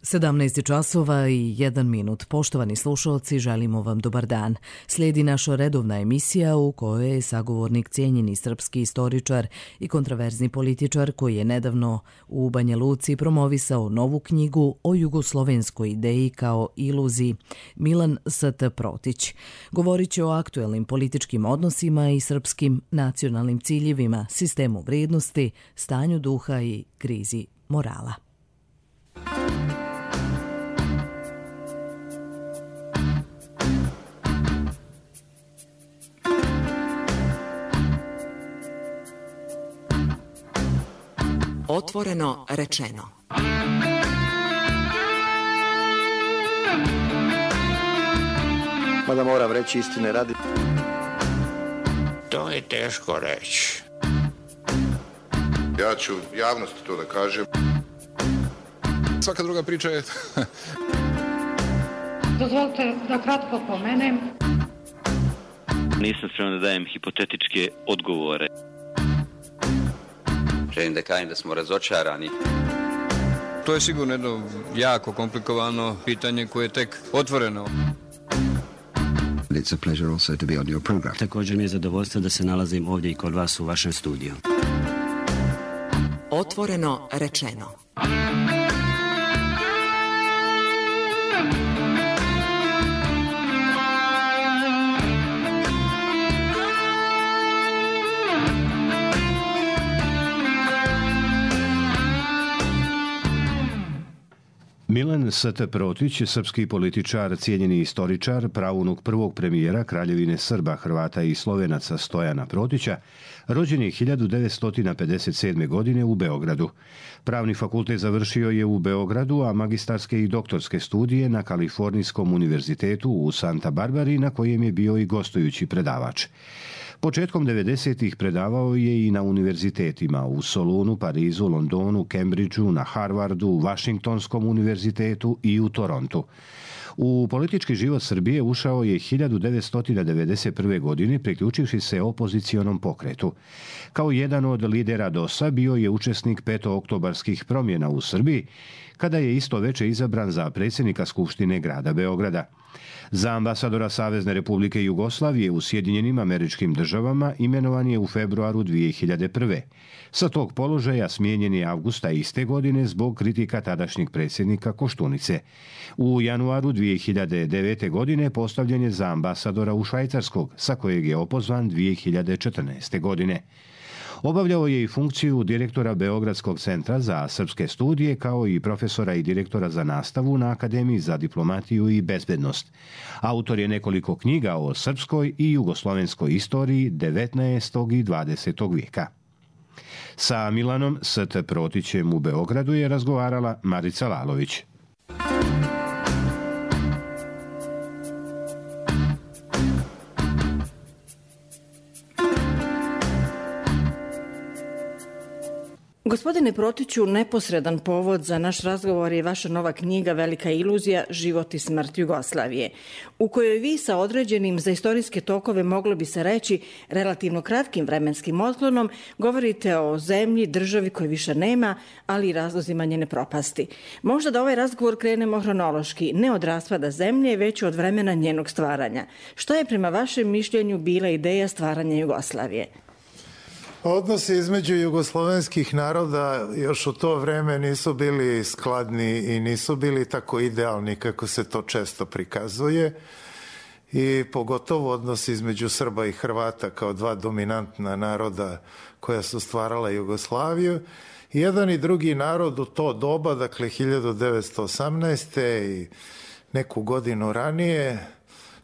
17 časova i 1 minut. Poštovani slušalci, želimo vam dobar dan. Slijedi naša redovna emisija u kojoj je sagovornik cijenjeni srpski istoričar i kontraverzni političar koji je nedavno u Banja Luci promovisao novu knjigu o jugoslovenskoj ideji kao iluziji, Milan S.T. Protić. Govorit će o aktuelnim političkim odnosima i srpskim nacionalnim ciljevima, sistemu vrijednosti, stanju duha i krizi morala. Otvoreno rečeno. Mada moram reći istine radi. To je teško reći. Ja ću javnosti to da kažem. Svaka druga priča je... Dozvolite da kratko pomenem. Nisam spreman da dajem hipotetičke odgovore. Želim da kažem da smo razočarani. To je sigurno jedno jako komplikovano pitanje koje je tek otvoreno. It's a pleasure also to be on your program. Također mi je zadovoljstvo da se nalazim ovdje i kod vas u vašem studiju. Otvoreno rečeno. Milan S.T. Protić, srpski političar, cijenjeni istoričar, praunuk prvog premijera Kraljevine Srba, Hrvata i Slovenaca Stojana Protića, rođen je 1957. godine u Beogradu. Pravni fakultet završio je u Beogradu, a magistarske i doktorske studije na Kalifornijskom univerzitetu u Santa Barbari, na kojem je bio i gostujući predavač. Početkom 90-ih predavao je i na univerzitetima u Solunu, Parizu, Londonu, Cambridgeu, na Harvardu, Vašingtonskom univerzitetu i u Torontu. U politički život Srbije ušao je 1991. godine priključivši se opozicionom pokretu. Kao jedan od lidera DOS-a bio je učesnik petooktobarskih promjena u Srbiji, kada je isto veče izabran za predsjednika Skupštine grada Beograda. Za ambasadora Savezne Republike Jugoslavije u Sjedinjenim Američkim Državama imenovan je u februaru 2001. Sa tog položaja smijenjen je avgusta iste godine zbog kritika tadašnjeg predsjednika Koštunice. U januaru 2009. godine postavljen je za ambasadora u Švajcarskog, sa kojeg je opozvan 2014. godine. Obavljao je i funkciju direktora Beogradskog centra za srpske studije, kao i profesora i direktora za nastavu na Akademiji za diplomatiju i bezbednost. Autor je nekoliko knjiga o srpskoj i jugoslovenskoj istoriji 19. i 20. vijeka. Sa Milanom S.T. Protićem u Beogradu je razgovarala Marica Lalović. Gospodine Protiću, neposredan povod za naš razgovor je vaša nova knjiga Velika iluzija, život i smrt Jugoslavije, u kojoj vi sa određenim za istorijske tokove, moglo bi se reći, relativno kratkim vremenskim otklonom, govorite o zemlji, državi koje više nema, ali i razlozima njene propasti. Možda da ovaj razgovor krenemo hronološki, ne od raspada zemlje, već od vremena njenog stvaranja. Šta je prema vašem mišljenju bila ideja stvaranja Jugoslavije? Odnosi između jugoslovenskih naroda još u to vreme nisu bili skladni i nisu bili tako idealni kako se to često prikazuje, i pogotovo odnosi između Srba i Hrvata kao dva dominantna naroda koja su stvarala Jugoslaviju. Jedan i drugi narod u to doba, dakle 1918. i neku godinu ranije,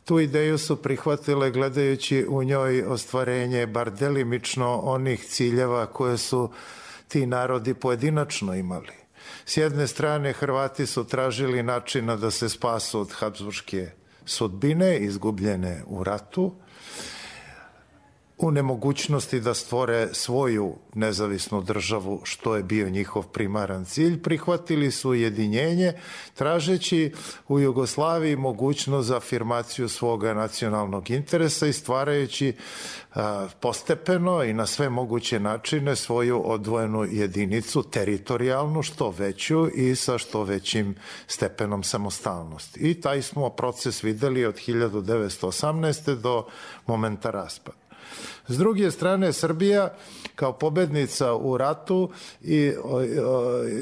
tu ideju su prihvatile gledajući u njoj ostvarenje bar delimično onih ciljeva koje su ti narodi pojedinačno imali. S jedne strane, Hrvati su tražili načina da se spasu od habsburške sudbine, izgubljene u ratu. S druge strane, Srbi su tražili načina da se spasu od habsburške sudbine, izgubljene u ratu. S jedne strane, Hrvati su tražili načina da se spasu od habsburške sudbine, izgubljene u ratu. S jedne strane, Hrvati su tražili načina da se spasu od habsburške sudbine, izgubljene u ratu. u nemogućnosti da stvore svoju nezavisnu državu, što je bio njihov primaran cilj. Prihvatili su ujedinjenje, tražeći u Jugoslaviji mogućnost za afirmaciju svoga nacionalnog interesa i stvarajući postepeno i na sve moguće načine svoju odvojenu jedinicu, teritorijalnu, što veću i sa što većim stepenom samostalnosti. I taj smo proces videli od 1918. do momenta raspada. S druge strane, Srbija kao pobednica u ratu i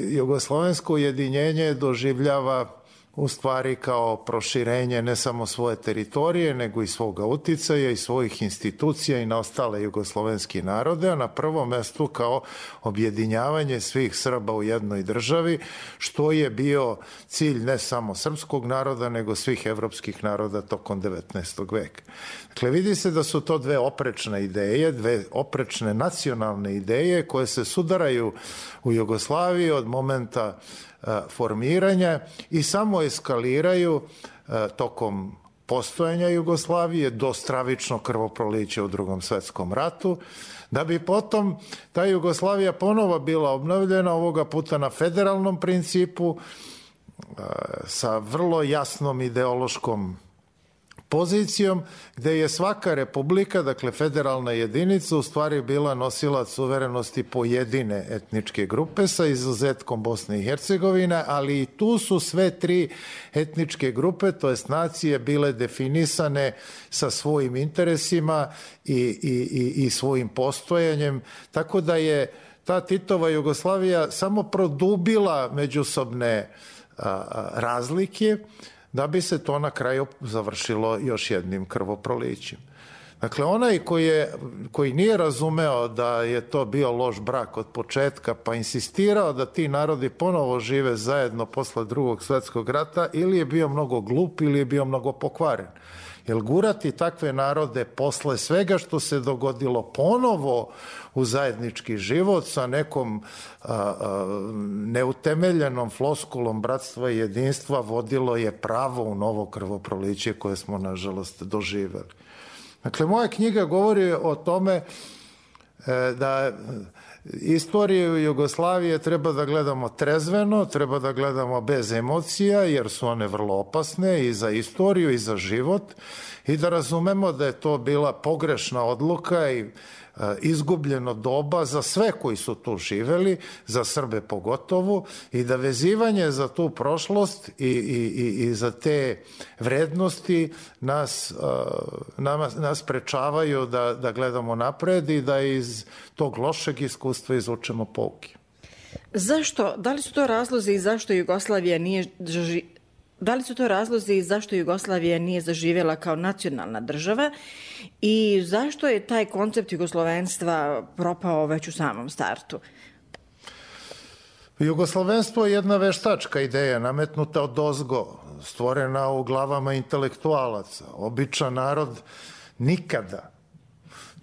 jugoslovensko ujedinjenje doživljava u stvari kao proširenje ne samo svoje teritorije, nego i svoga uticaja i svojih institucija i na ostale jugoslovenski narode, a na prvom mestu kao objedinjavanje svih Srba u jednoj državi, što je bio cilj ne samo srpskog naroda, nego svih evropskih naroda tokom 19. veka. Dakle, vidi se da su to dve oprečne ideje, dve oprečne nacionalne ideje koje se sudaraju u Jugoslaviji od momenta formiranja i samo eskaliraju tokom postojanja Jugoslavije do stravičnog krvoprolića u Drugom svetskom ratu, da bi potom ta Jugoslavija ponovo bila obnovljena, ovoga puta na federalnom principu, sa vrlo jasnom ideološkom pozicijom, gde je svaka republika, dakle federalna jedinica, u stvari bila nosilac suverenosti pojedine etničke grupe sa izuzetkom Bosne i Hercegovine, ali i tu su sve tri etničke grupe, to jest nacije, bile definisane sa svojim interesima i svojim postojanjem, tako da je ta Titova Jugoslavija samo produbila međusobne razlike, da bi se to na kraju završilo još jednim krvoprolićem. Dakle, onaj koji nije razumeo da je to bio loš brak od početka, pa insistirao da ti narodi ponovo žive zajedno posle Drugog svjetskog rata, ili je bio mnogo glup ili je bio mnogo pokvaren. Jer gurati takve narode posle svega što se dogodilo ponovo u zajednički život sa nekom neutemeljenom floskulom bratstva i jedinstva vodilo je pravo u novo krvoproliće koje smo nažalost doživeli. Dakle, moja knjiga govori o tome da istoriju Jugoslavije treba da gledamo trezveno, treba da gledamo bez emocija, jer su one vrlo opasne i za istoriju i za život, i da razumemo da je to bila pogrešna odluka i izgubljeno doba za sve koji su tu živeli, za Srbe pogotovo, i da vezivanje za tu prošlost i za te vrednosti nas sprečavaju da gledamo napred i da iz tog lošeg iskustva izvučemo pouke. Zašto? Da li su to razlozi i zašto Jugoslavija nije zaživjela kao nacionalna država i zašto je taj koncept jugoslovenstva propao već u samom startu? Jugoslovenstvo je jedna veštačka ideja, nametnuta odozgo, stvorena u glavama intelektualaca. Običan narod nikada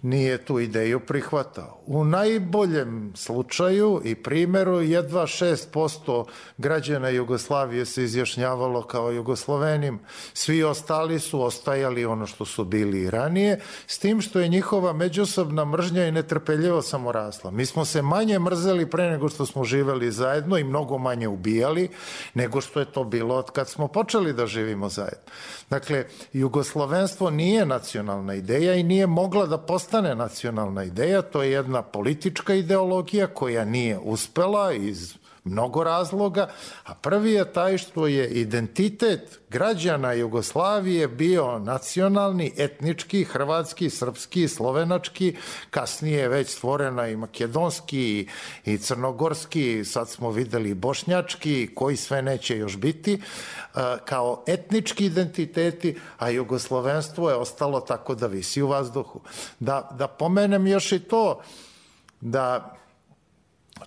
nije tu ideju prihvatao. U najboljem slučaju i primjeru jedva 6% građana Jugoslavije se izjašnjavalo kao Jugoslovenim. Svi ostali su ostajali ono što su bili i ranije, s tim što je njihova međusobna mržnja i netrpeljivo samo rasla. Mi smo se manje mrzeli pre nego što smo živeli zajedno i mnogo manje ubijali nego što je to bilo od kad smo počeli da živimo zajedno. Dakle, jugoslovenstvo nije nacionalna ideja i nije mogla da postane nacionalna ideja, to je jedna politička ideologija koja nije uspela iz mnogo razloga, a prvi je taj što je identitet građana Jugoslavije bio nacionalni, etnički, hrvatski, srpski, slovenački, kasnije je već stvorena i makedonski i crnogorski, sad smo videli i bošnjački, koji sve neće još biti, kao etnički identiteti, a jugoslovenstvo je ostalo tako da visi u vazduhu. Da pomenem još i to, da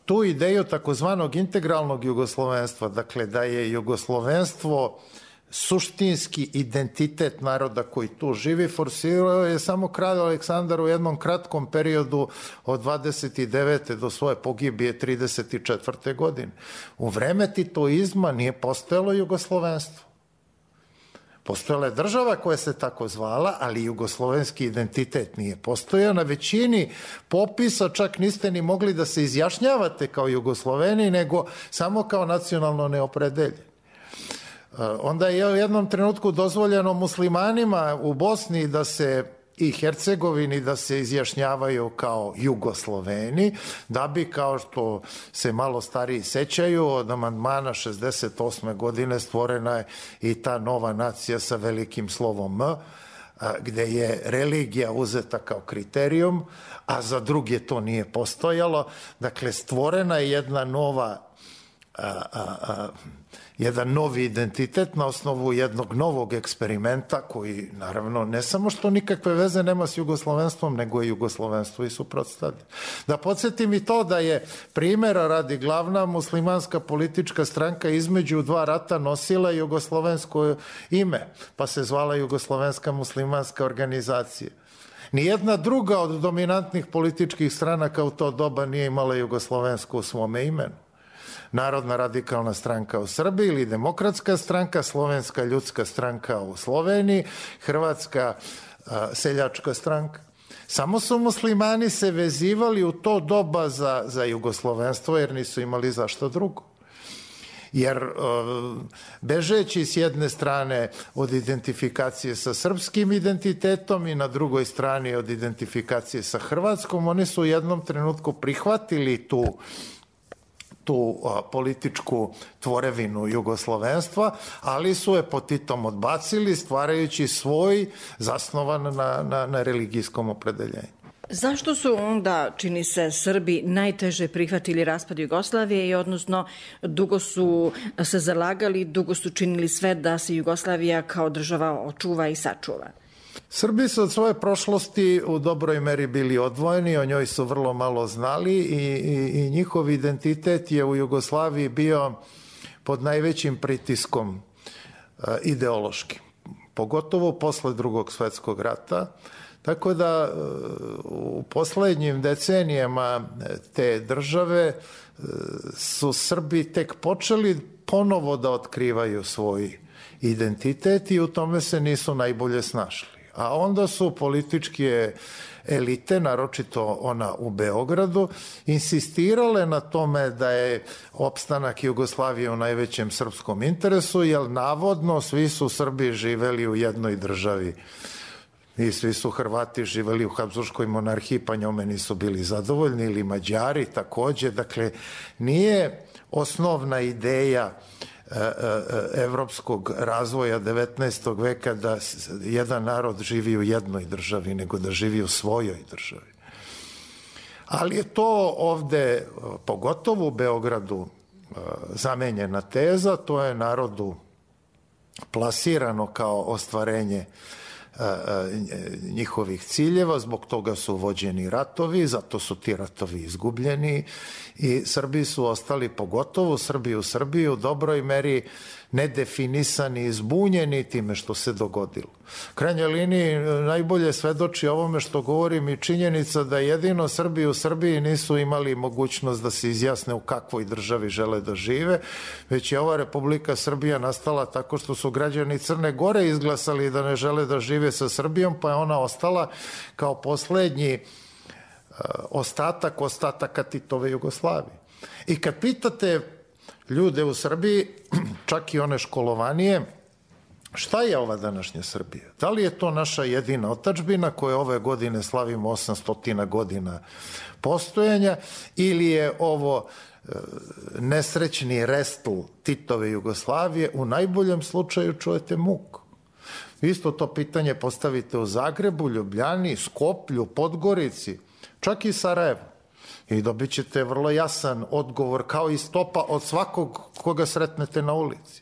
tu ideju takozvanog integralnog jugoslovenstva, dakle da je jugoslovenstvo suštinski identitet naroda koji tu živi, forsirao je samo kralj Aleksandar u jednom kratkom periodu od 29. do svoje pogibije 34. godine. U vreme titoizma nije postojalo jugoslovenstvo. Postojala je država koja se tako zvala, ali jugoslovenski identitet nije postojao. Na većini popisa čak niste ni mogli da se izjašnjavate kao Jugosloveni, nego samo kao nacionalno neopredeljeni. Onda je u jednom trenutku dozvoljeno muslimanima u Bosni da se i Hercegovini da se izjašnjavaju kao Jugosloveni, da bi, kao što se malo stariji sećaju, od amandmana 68. godine stvorena je i ta nova nacija sa velikim slovom M, gde je religija uzeta kao kriterijum, a za druge to nije postojalo. Dakle, stvorena je jedna nova jedan novi identitet na osnovu jednog novog eksperimenta koji, naravno, ne samo što nikakve veze nema s jugoslovenstvom, nego je jugoslovenstvo i suprotstavlja. Da podsjetim i to da je primjera radi glavna muslimanska politička stranka između dva rata nosila jugoslovensko ime, pa se zvala Jugoslovenska muslimanska organizacija. Nijedna druga od dominantnih političkih stranaka u to doba nije imala jugoslovensko u svome imenu. Narodna radikalna stranka u Srbiji ili Demokratska stranka, Slovenska ljudska stranka u Sloveniji, Hrvatska seljačka stranka. Samo su muslimani se vezivali u to doba za jugoslovenstvo jer nisu imali zašto drugo. Jer bežeći s jedne strane od identifikacije sa srpskim identitetom i na drugoj strani od identifikacije sa Hrvatskom, oni su u jednom trenutku prihvatili tu političku tvorevinu jugoslovenstva, ali su je pod Titom odbacili, stvarajući svoj zasnovan na religijskom opredeljenju. Zašto su onda, čini se, Srbi najteže prihvatili raspad Jugoslavije i odnosno dugo su se zalagali, dugo su činili sve da se Jugoslavija kao država očuva i sačuva? Srbi su od svoje prošlosti u dobroj meri bili odvojeni, o njoj su vrlo malo znali i njihov identitet je u Jugoslaviji bio pod najvećim pritiskom ideološkim, pogotovo posle Drugog svjetskog rata. Tako da u poslednjim decenijama te države su Srbi tek počeli ponovo da otkrivaju svoj identitet i u tome se nisu najbolje snašli. A onda su političke elite, naročito ona u Beogradu, insistirale na tome da je opstanak Jugoslavije u najvećem srpskom interesu, jer navodno svi su Srbi živeli u jednoj državi i svi su Hrvati živeli u Habsburškoj monarhiji, pa njome nisu bili zadovoljni, ili Mađari takođe. Dakle, nije osnovna ideja evropskog razvoja 19. veka da jedan narod živi u jednoj državi, nego da živi u svojoj državi. Ali je to ovde, pogotovo u Beogradu, zamenjena teza, to je narodu plasirano kao ostvarenje njihovih ciljeva, zbog toga su vođeni ratovi, zato su ti ratovi izgubljeni i Srbi su ostali, pogotovo Srbi u Srbiji, u dobroj meri nedefinisani i zbunjeni time što se dogodilo. U krajnjoj liniji najbolje svedoči ovome što govorim i činjenica da jedino Srbi u Srbiji nisu imali mogućnost da se izjasne u kakvoj državi žele da žive, već je ova Republika Srbija nastala tako što su građani Crne Gore izglasali da ne žele da žive sa Srbijom, pa je ona ostala kao poslednji ostataka Titove Jugoslavije. I kad pitate ljude u Srbiji, čak i one školovanije, šta je ova današnja Srbija? Da li je to naša jedina otadžbina koja ove godine slavimo 800 godina postojanja, ili je ovo nesrećni restl Titove Jugoslavije? U najboljem slučaju čujete muku. Isto to pitanje postavite u Zagrebu, Ljubljani, Skoplju, Podgorici, čak i Sarajevu. I dobit ćete vrlo jasan odgovor, kao i stopa od svakog koga sretnete na ulici.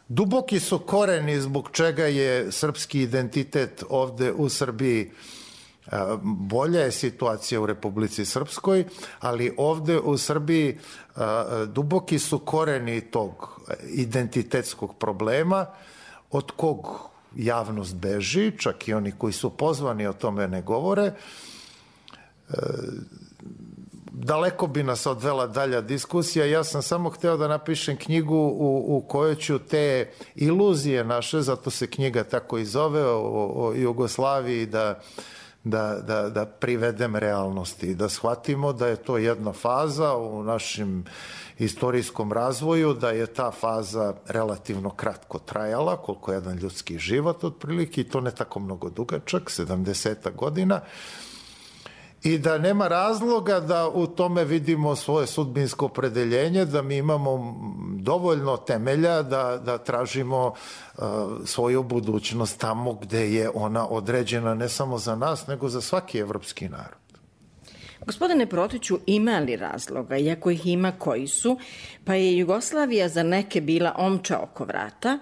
Duboki su koreni zbog čega je srpski identitet ovde u Srbiji. Bolja je situacija u Republici Srpskoj, ali ovde u Srbiji duboki su koreni tog identitetskog problema, od kog javnost beži, čak i oni koji su pozvani o tome ne govore. daleko bi nas odvela dalja diskusija. Ja sam samo hteo da napišem knjigu u kojoj ću te iluzije naše, zato se knjiga tako i zove, o Jugoslaviji, da privedem realnosti, da shvatimo da je to jedna faza u našem istorijskom razvoju, da je ta faza relativno kratko trajala, koliko je jedan ljudski život otprilike, i to ne tako mnogo dugačak, 70 godina, i da nema razloga da u tome vidimo svoje sudbinsko opredeljenje, da mi imamo dovoljno temelja da tražimo svoju budućnost tamo gde je ona određena ne samo za nas, nego za svaki evropski narod. Gospodine Protiću, ima li razloga, iako ih ima koji su, pa je Jugoslavija za neke bila omča oko vrata,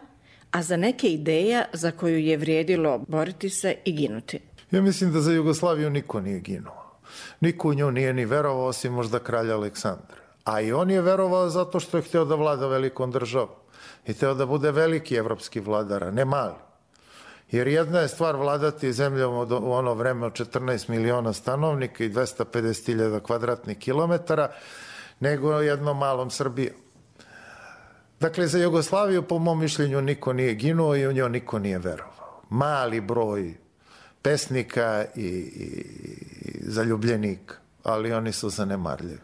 a za neke ideja za koju je vrijedilo boriti se i ginuti? Ja mislim da za Jugoslaviju niko nije ginuo. Niko u nju nije ni verovao, osim možda kralja Aleksandra. A i on je verovao zato što je hteo da vlada velikom državom. I hteo da bude veliki evropski vladar, a ne mali. Jer jedna je stvar vladati zemljom u ono vreme od 14 miliona stanovnika i 250.000 kvadratnih kilometara, nego jednom malom Srbijom. Dakle, za Jugoslaviju, po mom mišljenju, niko nije ginuo i u njoj niko nije verovao. Mali broj pesnika i zaljubljenika, ali oni su zanemarljivi.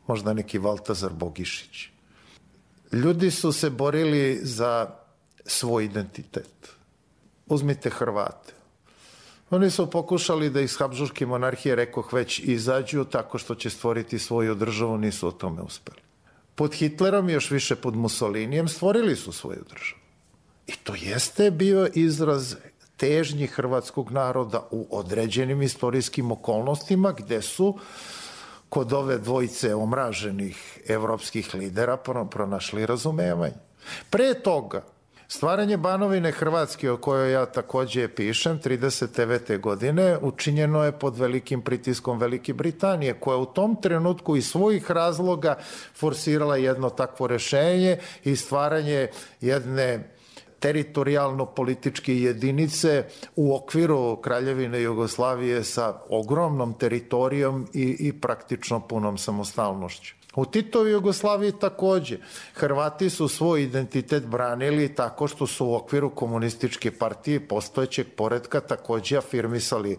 Možda neki Valtazar Bogišić. Ljudi su se borili za svoj identitet. Uzmite Hrvate. Oni su pokušali da iz Habsburške monarhije, rekoh već, izađu tako što će stvoriti svoju državu, nisu o tome uspeli. Pod Hitlerom i još više pod Mussolinijem stvorili su svoju državu. I to jeste bio izraz težnji hrvatskog naroda u određenim istorijskim okolnostima gde su kod ove dvojice omraženih evropskih lidera pronašli razumevanje. Pre toga, stvaranje Banovine Hrvatske, o kojoj ja takođe pišem, 39. godine, učinjeno je pod velikim pritiskom Velike Britanije, koja u tom trenutku iz svojih razloga forsirala jedno takvo rešenje i stvaranje jedne teritorijalno-političke jedinice u okviru Kraljevine Jugoslavije sa ogromnom teritorijom i praktično punom samostalnošću. U Titovoj Jugoslaviji takođe. Hrvati su svoj identitet branili tako što su u okviru komunističke partije postojećeg poretka takođe afirmisali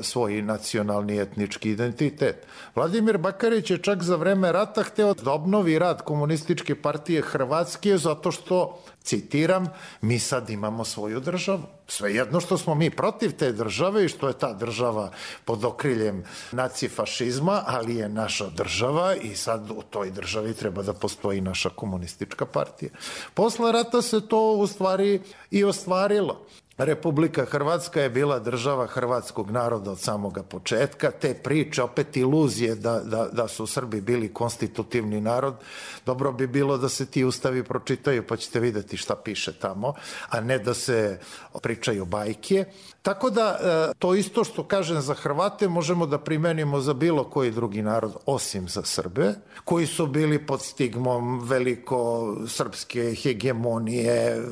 svoj nacionalni etnički identitet. Vladimir Bakarić je čak za vreme rata hteo da obnovi rad komunističke partije Hrvatske zato što, citiram, mi sad imamo svoju državu. Svejedno što smo mi protiv te države i što je ta država pod okriljem nacifašizma, ali je naša država i sad u toj državi treba da postoji naša komunistička partija. Posle rata se to u stvari i ostvarilo. Republika Hrvatska je bila država hrvatskog naroda od samoga početka. Te priče, opet iluzije da su Srbi bili konstitutivni narod, dobro bi bilo da se ti ustavi pročitaju pa ćete videti šta piše tamo, a ne da se pričaju bajke. Tako da to isto što kažem za Hrvate možemo da primenimo za bilo koji drugi narod osim za Srbe, koji su bili pod stigmom veliko srpske hegemonije,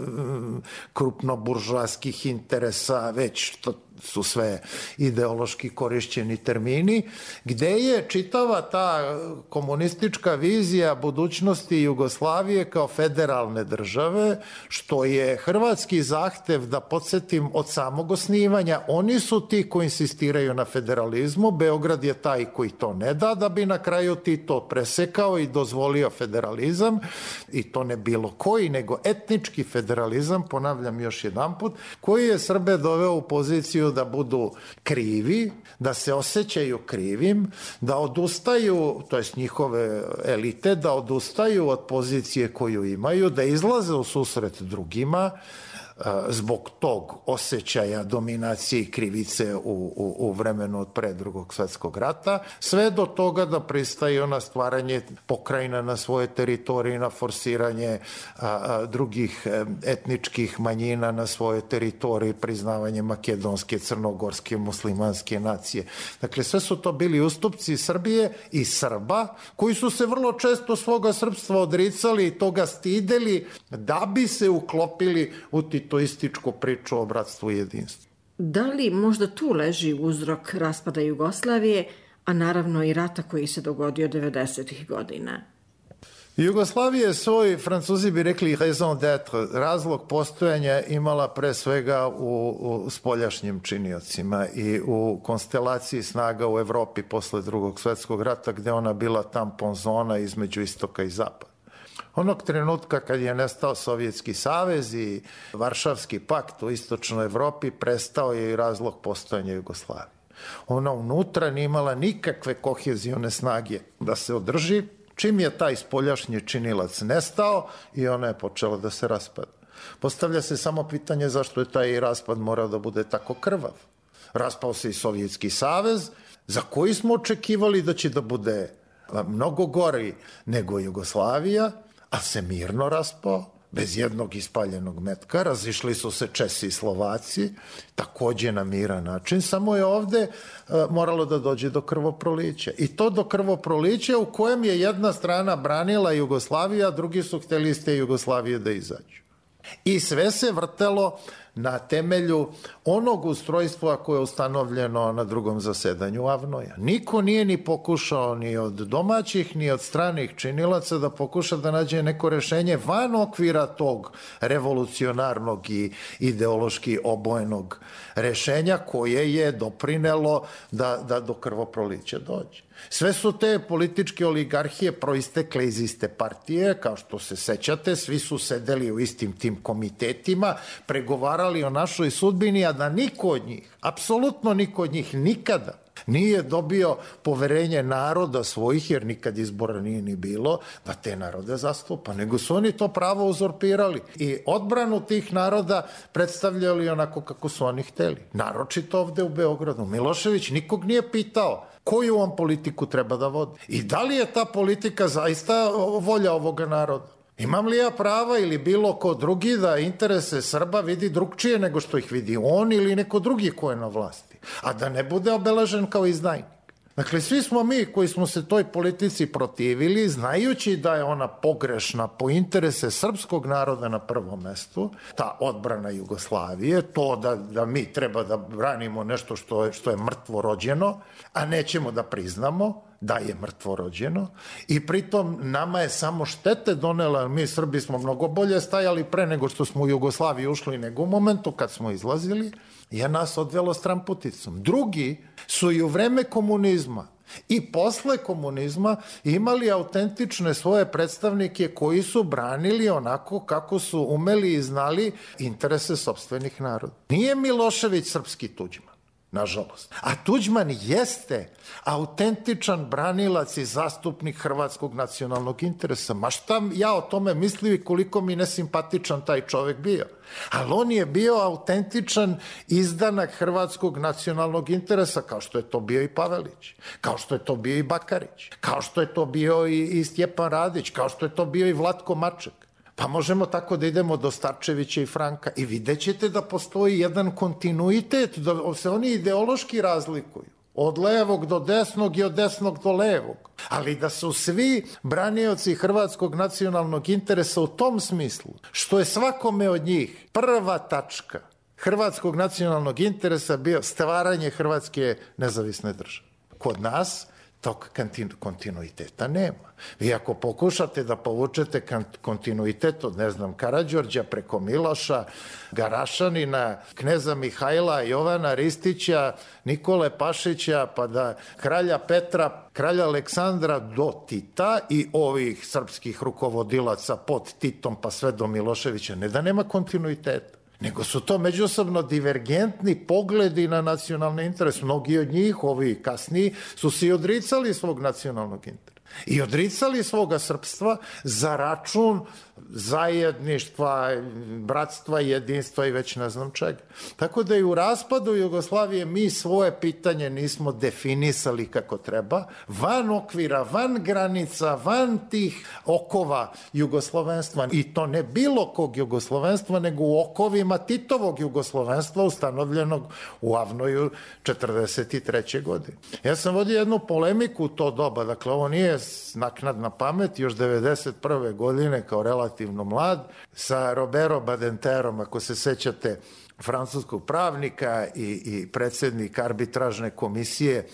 krupno-buržoaskih interesa, već što su sve ideološki korišćeni termini, gde je čitava ta komunistička vizija budućnosti Jugoslavije kao federalne države, što je hrvatski zahtev, da podsjetim, od samog osnivanja. Oni su ti koji insistiraju na federalizmu, Beograd je taj koji to ne da bi na kraju Tito presekao i dozvolio federalizam, i to ne bilo koji, nego etnički federalizam, ponavljam još jedanput, koji je Srbe doveo u poziciju da budu krivi, da se osjećaju krivim, da odustaju, to jest njihove elite, da odustaju od pozicije koju imaju, da izlaze u susret drugima zbog tog osjećaja dominacije i krivice u vremenu od pre Drugog svetskog rata, sve do toga da pristaju na stvaranje pokrajina na svoje teritorije, na forsiranje drugih etničkih manjina na svoje teritorije, priznavanje makedonske, crnogorske, muslimanske nacije. Dakle, sve su to bili ustupci Srbije i Srba, koji su se vrlo često svoga srpstva odricali i toga stideli da bi se uklopili u titoističku priču o bratstvu i jedinstvu. Da li možda tu leži uzrok raspada Jugoslavije, a naravno i rata koji se dogodio 90. godina. Jugoslavija je svoj, Francuzi bi rekli raison d'être, razlog postojanja imala pre svega u spoljašnjim činiocima i u konstelaciji snaga u Evropi posle Drugog svetskog rata, gde ona bila tampon zona između istoka i zapada. Onog trenutka kad je nestao Sovjetski savez i Varšavski pakt u istočnoj Evropi, prestao je i razlog postojanja Jugoslavije. Ona unutra nije imala nikakve kohezione snage da se održi. Čim je taj spoljašnji činilac nestao i ona je počela da se raspada. Postavlja se samo pitanje zašto je taj raspad morao da bude tako krvav. Raspao se i Sovjetski savez, za koji smo očekivali da će da bude mnogo gori nego Jugoslavija, a se mirno raspao, bez jednog ispaljenog metka. Razišli su se Česi i Slovaci, takođe na miran način, samo je ovde moralo da dođe do krvoprolića. I to do krvoprolića u kojem je jedna strana branila Jugoslaviju, a drugi su hteli iz te Jugoslavije da izađu. I sve se vrtelo na temelju onog ustrojstva koje je ustanovljeno na drugom zasedanju Avnoja. Niko nije ni pokušao ni od domaćih ni od stranih činilaca da pokuša da nađe neko rešenje van okvira tog revolucionarnog i ideološki obojenog rešenja koje je doprinelo da do krvoprolića dođe. Sve su te političke oligarhije proistekle iz iste partije, kao što se sećate, svi su sedeli u istim tim komitetima, pregovarali o našoj sudbini, a da niko od njih, apsolutno niko od njih nikada nije dobio poverenje naroda svojih, jer nikad izbora nije ni bilo, da te narode zastupa, nego su oni to pravo uzurpirali i odbranu tih naroda predstavljali onako kako su oni hteli. Naročito ovde u Beogradu. Milošević nikog nije pitao koju on politiku treba da vodi i da li je ta politika zaista volja ovoga naroda. Imam li ja prava ili bilo ko drugi da interese Srba vidi drugčije nego što ih vidi on ili neko drugi ko je na vlasti, a da ne bude obeležen kao izdajnik. Dakle, svi smo mi koji smo se toj politici protivili, znajući da je ona pogrešna po interese srpskog naroda na prvom mestu, ta odbrana Jugoslavije, to da mi treba da branimo nešto što je mrtvo rođeno, a nećemo da priznamo da je mrtvo rođeno i pritom nama je samo štete donela, mi Srbi smo mnogo bolje stajali pre nego što smo u Jugoslaviju ušli nego u momentu kad smo izlazili, je nas odvelo stramputicom. Drugi su i u vreme komunizma i posle komunizma imali autentične svoje predstavnike koji su branili onako kako su umeli i znali interese sopstvenih naroda. Nije Milošević srpski Tuđman, nažalost. A Tuđman jeste autentičan branilac i zastupnik hrvatskog nacionalnog interesa. Ma šta ja o tome mislio i koliko mi nesimpatičan taj čovek bio. Ali on je bio autentičan izdanak hrvatskog nacionalnog interesa, kao što je to bio i Pavelić, kao što je to bio i Bakarić, kao što je to bio i Stjepan Radić, kao što je to bio i Vlatko Maček. Pa možemo tako da idemo do Starčevića i Franka i vidjet ćete da postoji jedan kontinuitet, da se oni ideološki razlikuju. Od levog do desnog i od desnog do levog. Ali da su svi branioci hrvatskog nacionalnog interesa u tom smislu, što je svakome od njih prva tačka hrvatskog nacionalnog interesa bio stvaranje Hrvatske nezavisne države. Kod nas tog kontinuiteta nema. Vi ako pokušate da povučete kontinuitet od, ne znam, Karađorđa preko Miloša, Garašanina, kneza Mihajla, Jovana Ristića, Nikole Pašića, pa da kralja Petra, kralja Aleksandra do Tita i ovih srpskih rukovodilaca pod Titom pa sve do Miloševića, ne da nema kontinuiteta, nego su to međusobno divergentni pogledi na nacionalni interes. Mnogi od njih, ovi kasniji, su se i odricali svog nacionalnog interesa i odricali svoga srpstva za račun zajedništva, bratstva, jedinstva i već ne znam čega. Tako da i u raspadu Jugoslavije mi svoje pitanje nismo definisali kako treba, van okvira, van granica, van tih okova jugoslovenstva. I to ne bilo kog jugoslovenstva, nego u okovima Titovog jugoslovenstva ustanovljenog u Avnoju 1943. godine. Ja sam vodio jednu polemiku u to doba, dakle ovo nije naknadna pamet, još 1991. godine kao relativno mlad, sa Robert Badinterom, ako se sećate, francuskog pravnika i predsjednik arbitražne komisije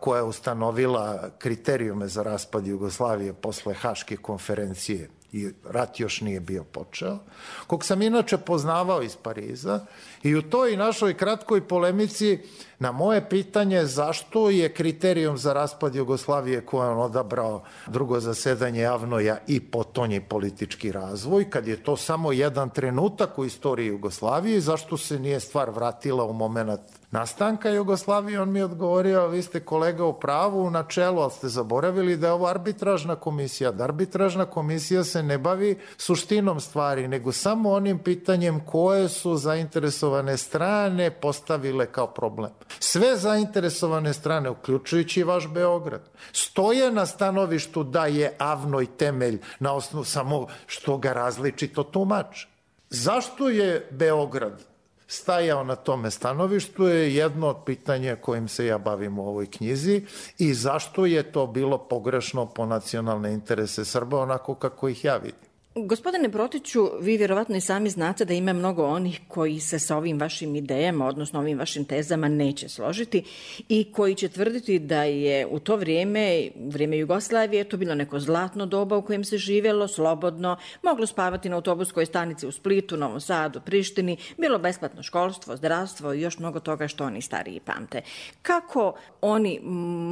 koja je ustanovila kriterijume za raspad Jugoslavije posle Haške konferencije i rat još nije bio počeo, kog sam inače poznavao iz Pariza, i u toj našoj kratkoj polemici na moje pitanje zašto je kriterijum za raspad Jugoslavije koje on odabrao drugo zasedanje Avnoja i potonji politički razvoj, kad je to samo jedan trenutak u istoriji Jugoslavije, zašto se nije stvar vratila u moment nastanka Jugoslavije, on mi je odgovorio: vi ste kolega u pravu u načelu, ali ste zaboravili da je ovo arbitražna komisija, da arbitražna komisija se ne bavi suštinom stvari, nego samo onim pitanjem koje su zainteresovane strane postavile kao problem. Sve zainteresovane strane, uključujući vaš Beograd, stoje na stanovištu da je Avnoj temelj na osnovu samo što ga različito tumače. Zašto je Beograd stajao na tome stanovištu je jedno od pitanja kojim se ja bavim u ovoj knjizi, i zašto je to bilo pogrešno po nacionalne interese Srba onako kako ih ja vidim. Gospodine Protiću, vi vjerovatno i sami znate da ima mnogo onih koji se sa ovim vašim idejama, odnosno ovim vašim tezama, neće složiti i koji će tvrditi da je u to vrijeme, u vrijeme Jugoslavije, to bilo neko zlatno doba u kojem se živjelo slobodno, moglo spavati na autobuskoj stanici u Splitu, Novom Sadu, Prištini, bilo besplatno školstvo, zdravstvo i još mnogo toga što oni stariji pamte. Kako oni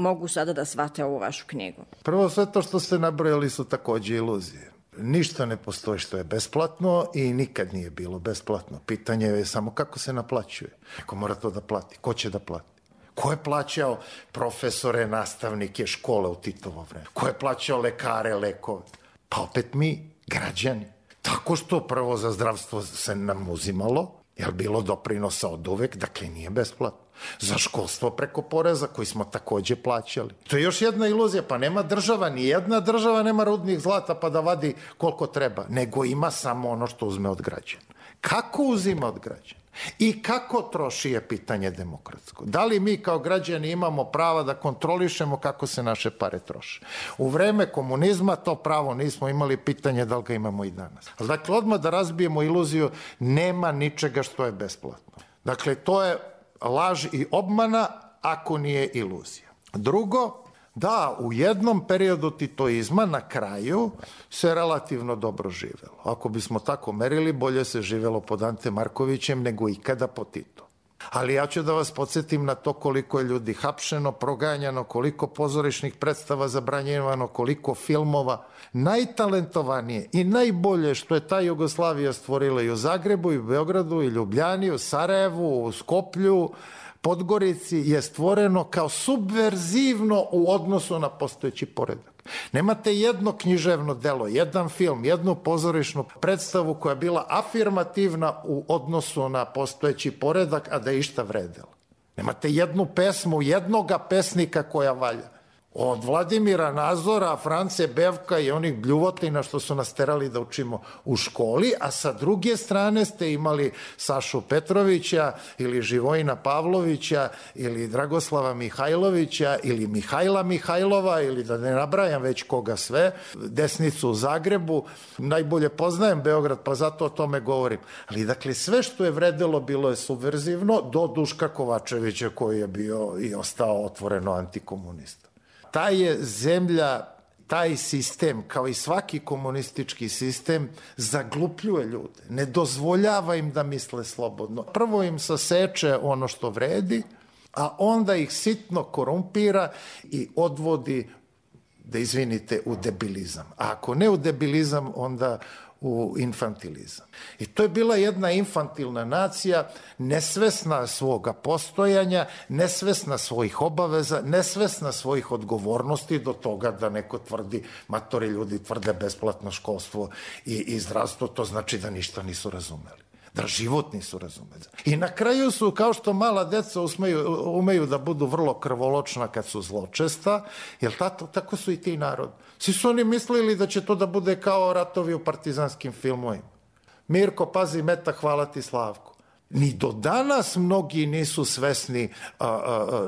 mogu sada da shvate ovu vašu knjigu? Prvo, sve to što ste nabrojali su takođe iluzije. Ništa ne postoji što je besplatno i nikad nije bilo besplatno. Pitanje je samo kako se naplaćuje. Neko mora to da plati. Ko će da plati? Ko je plaćao profesore, nastavnike, škole u Titovo vreme? Ko je plaćao lekare, lekove? Pa opet mi, građani. Tako što prvo za zdravstvo se nam uzimalo, jer bilo doprinosa od uvek, dakle nije besplatno. Za školstvo preko poreza koji smo takođe plaćali. To je još jedna iluzija, pa nema država, ni jedna država nema rudnih zlata pa da vadi koliko treba, nego ima samo ono što uzme od građana. Kako uzima od građana i kako troši je pitanje demokratsko. Da li mi kao građani imamo prava da kontrolišemo kako se naše pare troše? U vreme komunizma to pravo nismo imali, pitanje da li ga imamo i danas. Dakle, odmah da razbijemo iluziju, nema ničega što je besplatno. Dakle, to je laž i obmana ako nije iluzija. Drugo, da, u jednom periodu titoizma na kraju se relativno dobro živelo. Ako bismo tako merili, bolje se živelo pod Ante Markovićem nego ikada po Tito. Ali ja ću da vas podsjetim na to koliko je ljudi hapšeno, proganjano, koliko pozorišnih predstava zabranjivano, koliko filmova. Najtalentovanije i najbolje što je ta Jugoslavija stvorila i u Zagrebu, i u Beogradu, i Ljubljani, u Sarajevu, u Skoplju, Podgorici je stvoreno kao subverzivno u odnosu na postojeći poredak. Nemate jedno književno delo, jedan film, jednu pozorišnu predstavu koja je bila afirmativna u odnosu na postojeći poredak, a da je išta vredela. Nemate jednu pesmu, jednoga pesnika koja valja. Od Vladimira Nazora, France Bevka i onih bljuvotina što su nas terali da učimo u školi, a sa druge strane ste imali Sašu Petrovića ili Živojina Pavlovića ili Dragoslava Mihajlovića ili Mihajla Mihajlova ili da ne nabrajam već koga sve, desnicu u Zagrebu. Najbolje poznajem Beograd pa zato o tome govorim. Ali dakle sve što je vredelo bilo je subverzivno do Duška Kovačevića koji je bio i ostao otvoreno antikomunista. Ta je zemlja, taj sistem, kao i svaki komunistički sistem, zaglupljuje ljude, ne dozvoljava im da misle slobodno. Prvo im saseče ono što vredi, a onda ih sitno korumpira i odvodi, da izvinite, u debilizam. A ako ne u debilizam, onda u infantilizam. I to je bila jedna infantilna nacija, nesvesna svoga postojanja, nesvesna svojih obaveza, nesvesna svojih odgovornosti do toga da neko tvrdi, matori ljudi tvrde besplatno školstvo i zdravstvo, to znači da ništa nisu razumeli. Da život nisu razumeli. I na kraju su, kao što mala deca umeju da budu vrlo krvoločna kad su zločesta, jer tako su i ti narod. Svi su oni mislili da će to da bude kao ratovi u partizanskim filmovima. Mirko, pazi meta, hvala ti Slavko. Ni do danas mnogi nisu svesni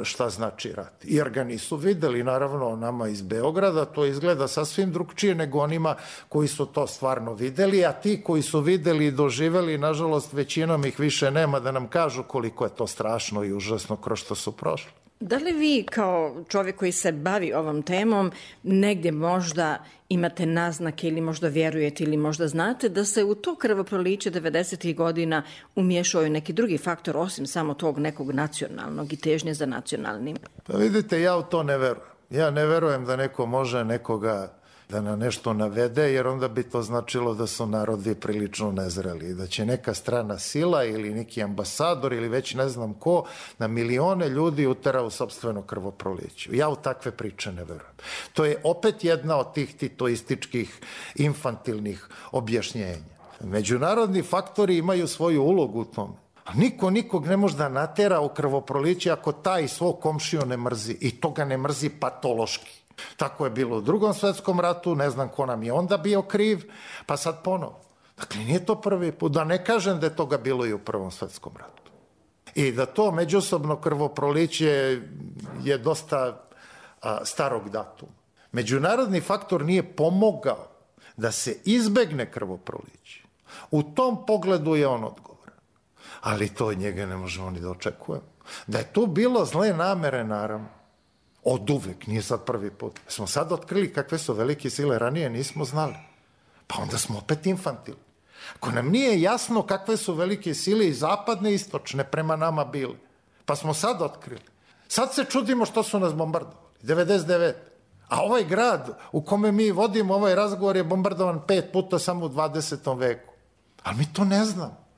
šta znači rat. Jer ga nisu videli, naravno, nama iz Beograda, to izgleda sasvim drugčije nego onima koji su to stvarno videli, a ti koji su videli i doživeli, nažalost, većinom ih više nema da nam kažu koliko je to strašno i užasno kroz što su prošli. Da li vi kao čovjek koji se bavi ovom temom negdje možda imate naznake ili možda vjerujete ili možda znate da se u to krvoproliće 90. godina umiješao i neki drugi faktor osim samo tog nekog nacionalnog i težnje za nacionalnim? Pa vidite, ja u to ne verujem. Ja ne verujem da neko može nekoga da na nešto navede, jer onda bi to značilo da su narodi prilično nezreli i da će neka strana sila ili neki ambasador ili već ne znam ko na milione ljudi utera u sopstveno krvoproliće. Ja u takve priče ne verujem. To je opet jedna od tih titoističkih infantilnih objašnjenja. Međunarodni faktori imaju svoju ulogu u tome. A niko nikog ne može da natera u krvoproliće ako taj svog komšiju ne mrzi. I to ga ne mrzi patološki. Tako je bilo u Drugom svetskom ratu, ne znam ko nam je onda bio kriv, pa sad ponovo. Dakle, nije to prvi put, da ne kažem da je toga bilo i u Prvom svetskom ratu. I da to međusobno krvoproliće je dosta starog datuma. Međunarodni faktor nije pomogao da se izbegne krvoproliće. U tom pogledu je on odgovoran. Ali to od njega ne možemo ni da očekujemo. Da je tu bilo zle namere, naravno. Od uvek, nije sad prvi put. Smo sad otkrili kakve su velike sile, ranije nismo znali. Pa onda smo opet infantilni. Ako nam nije jasno kakve su velike sile i zapadne i istočne prema nama bile, pa smo sad otkrili. Sad se čudimo što su nas bombardovali. 99. A ovaj grad u kome mi vodimo ovaj razgovor je bombardovan 5 puta samo u 20. veku. Ali mi to ne znamo.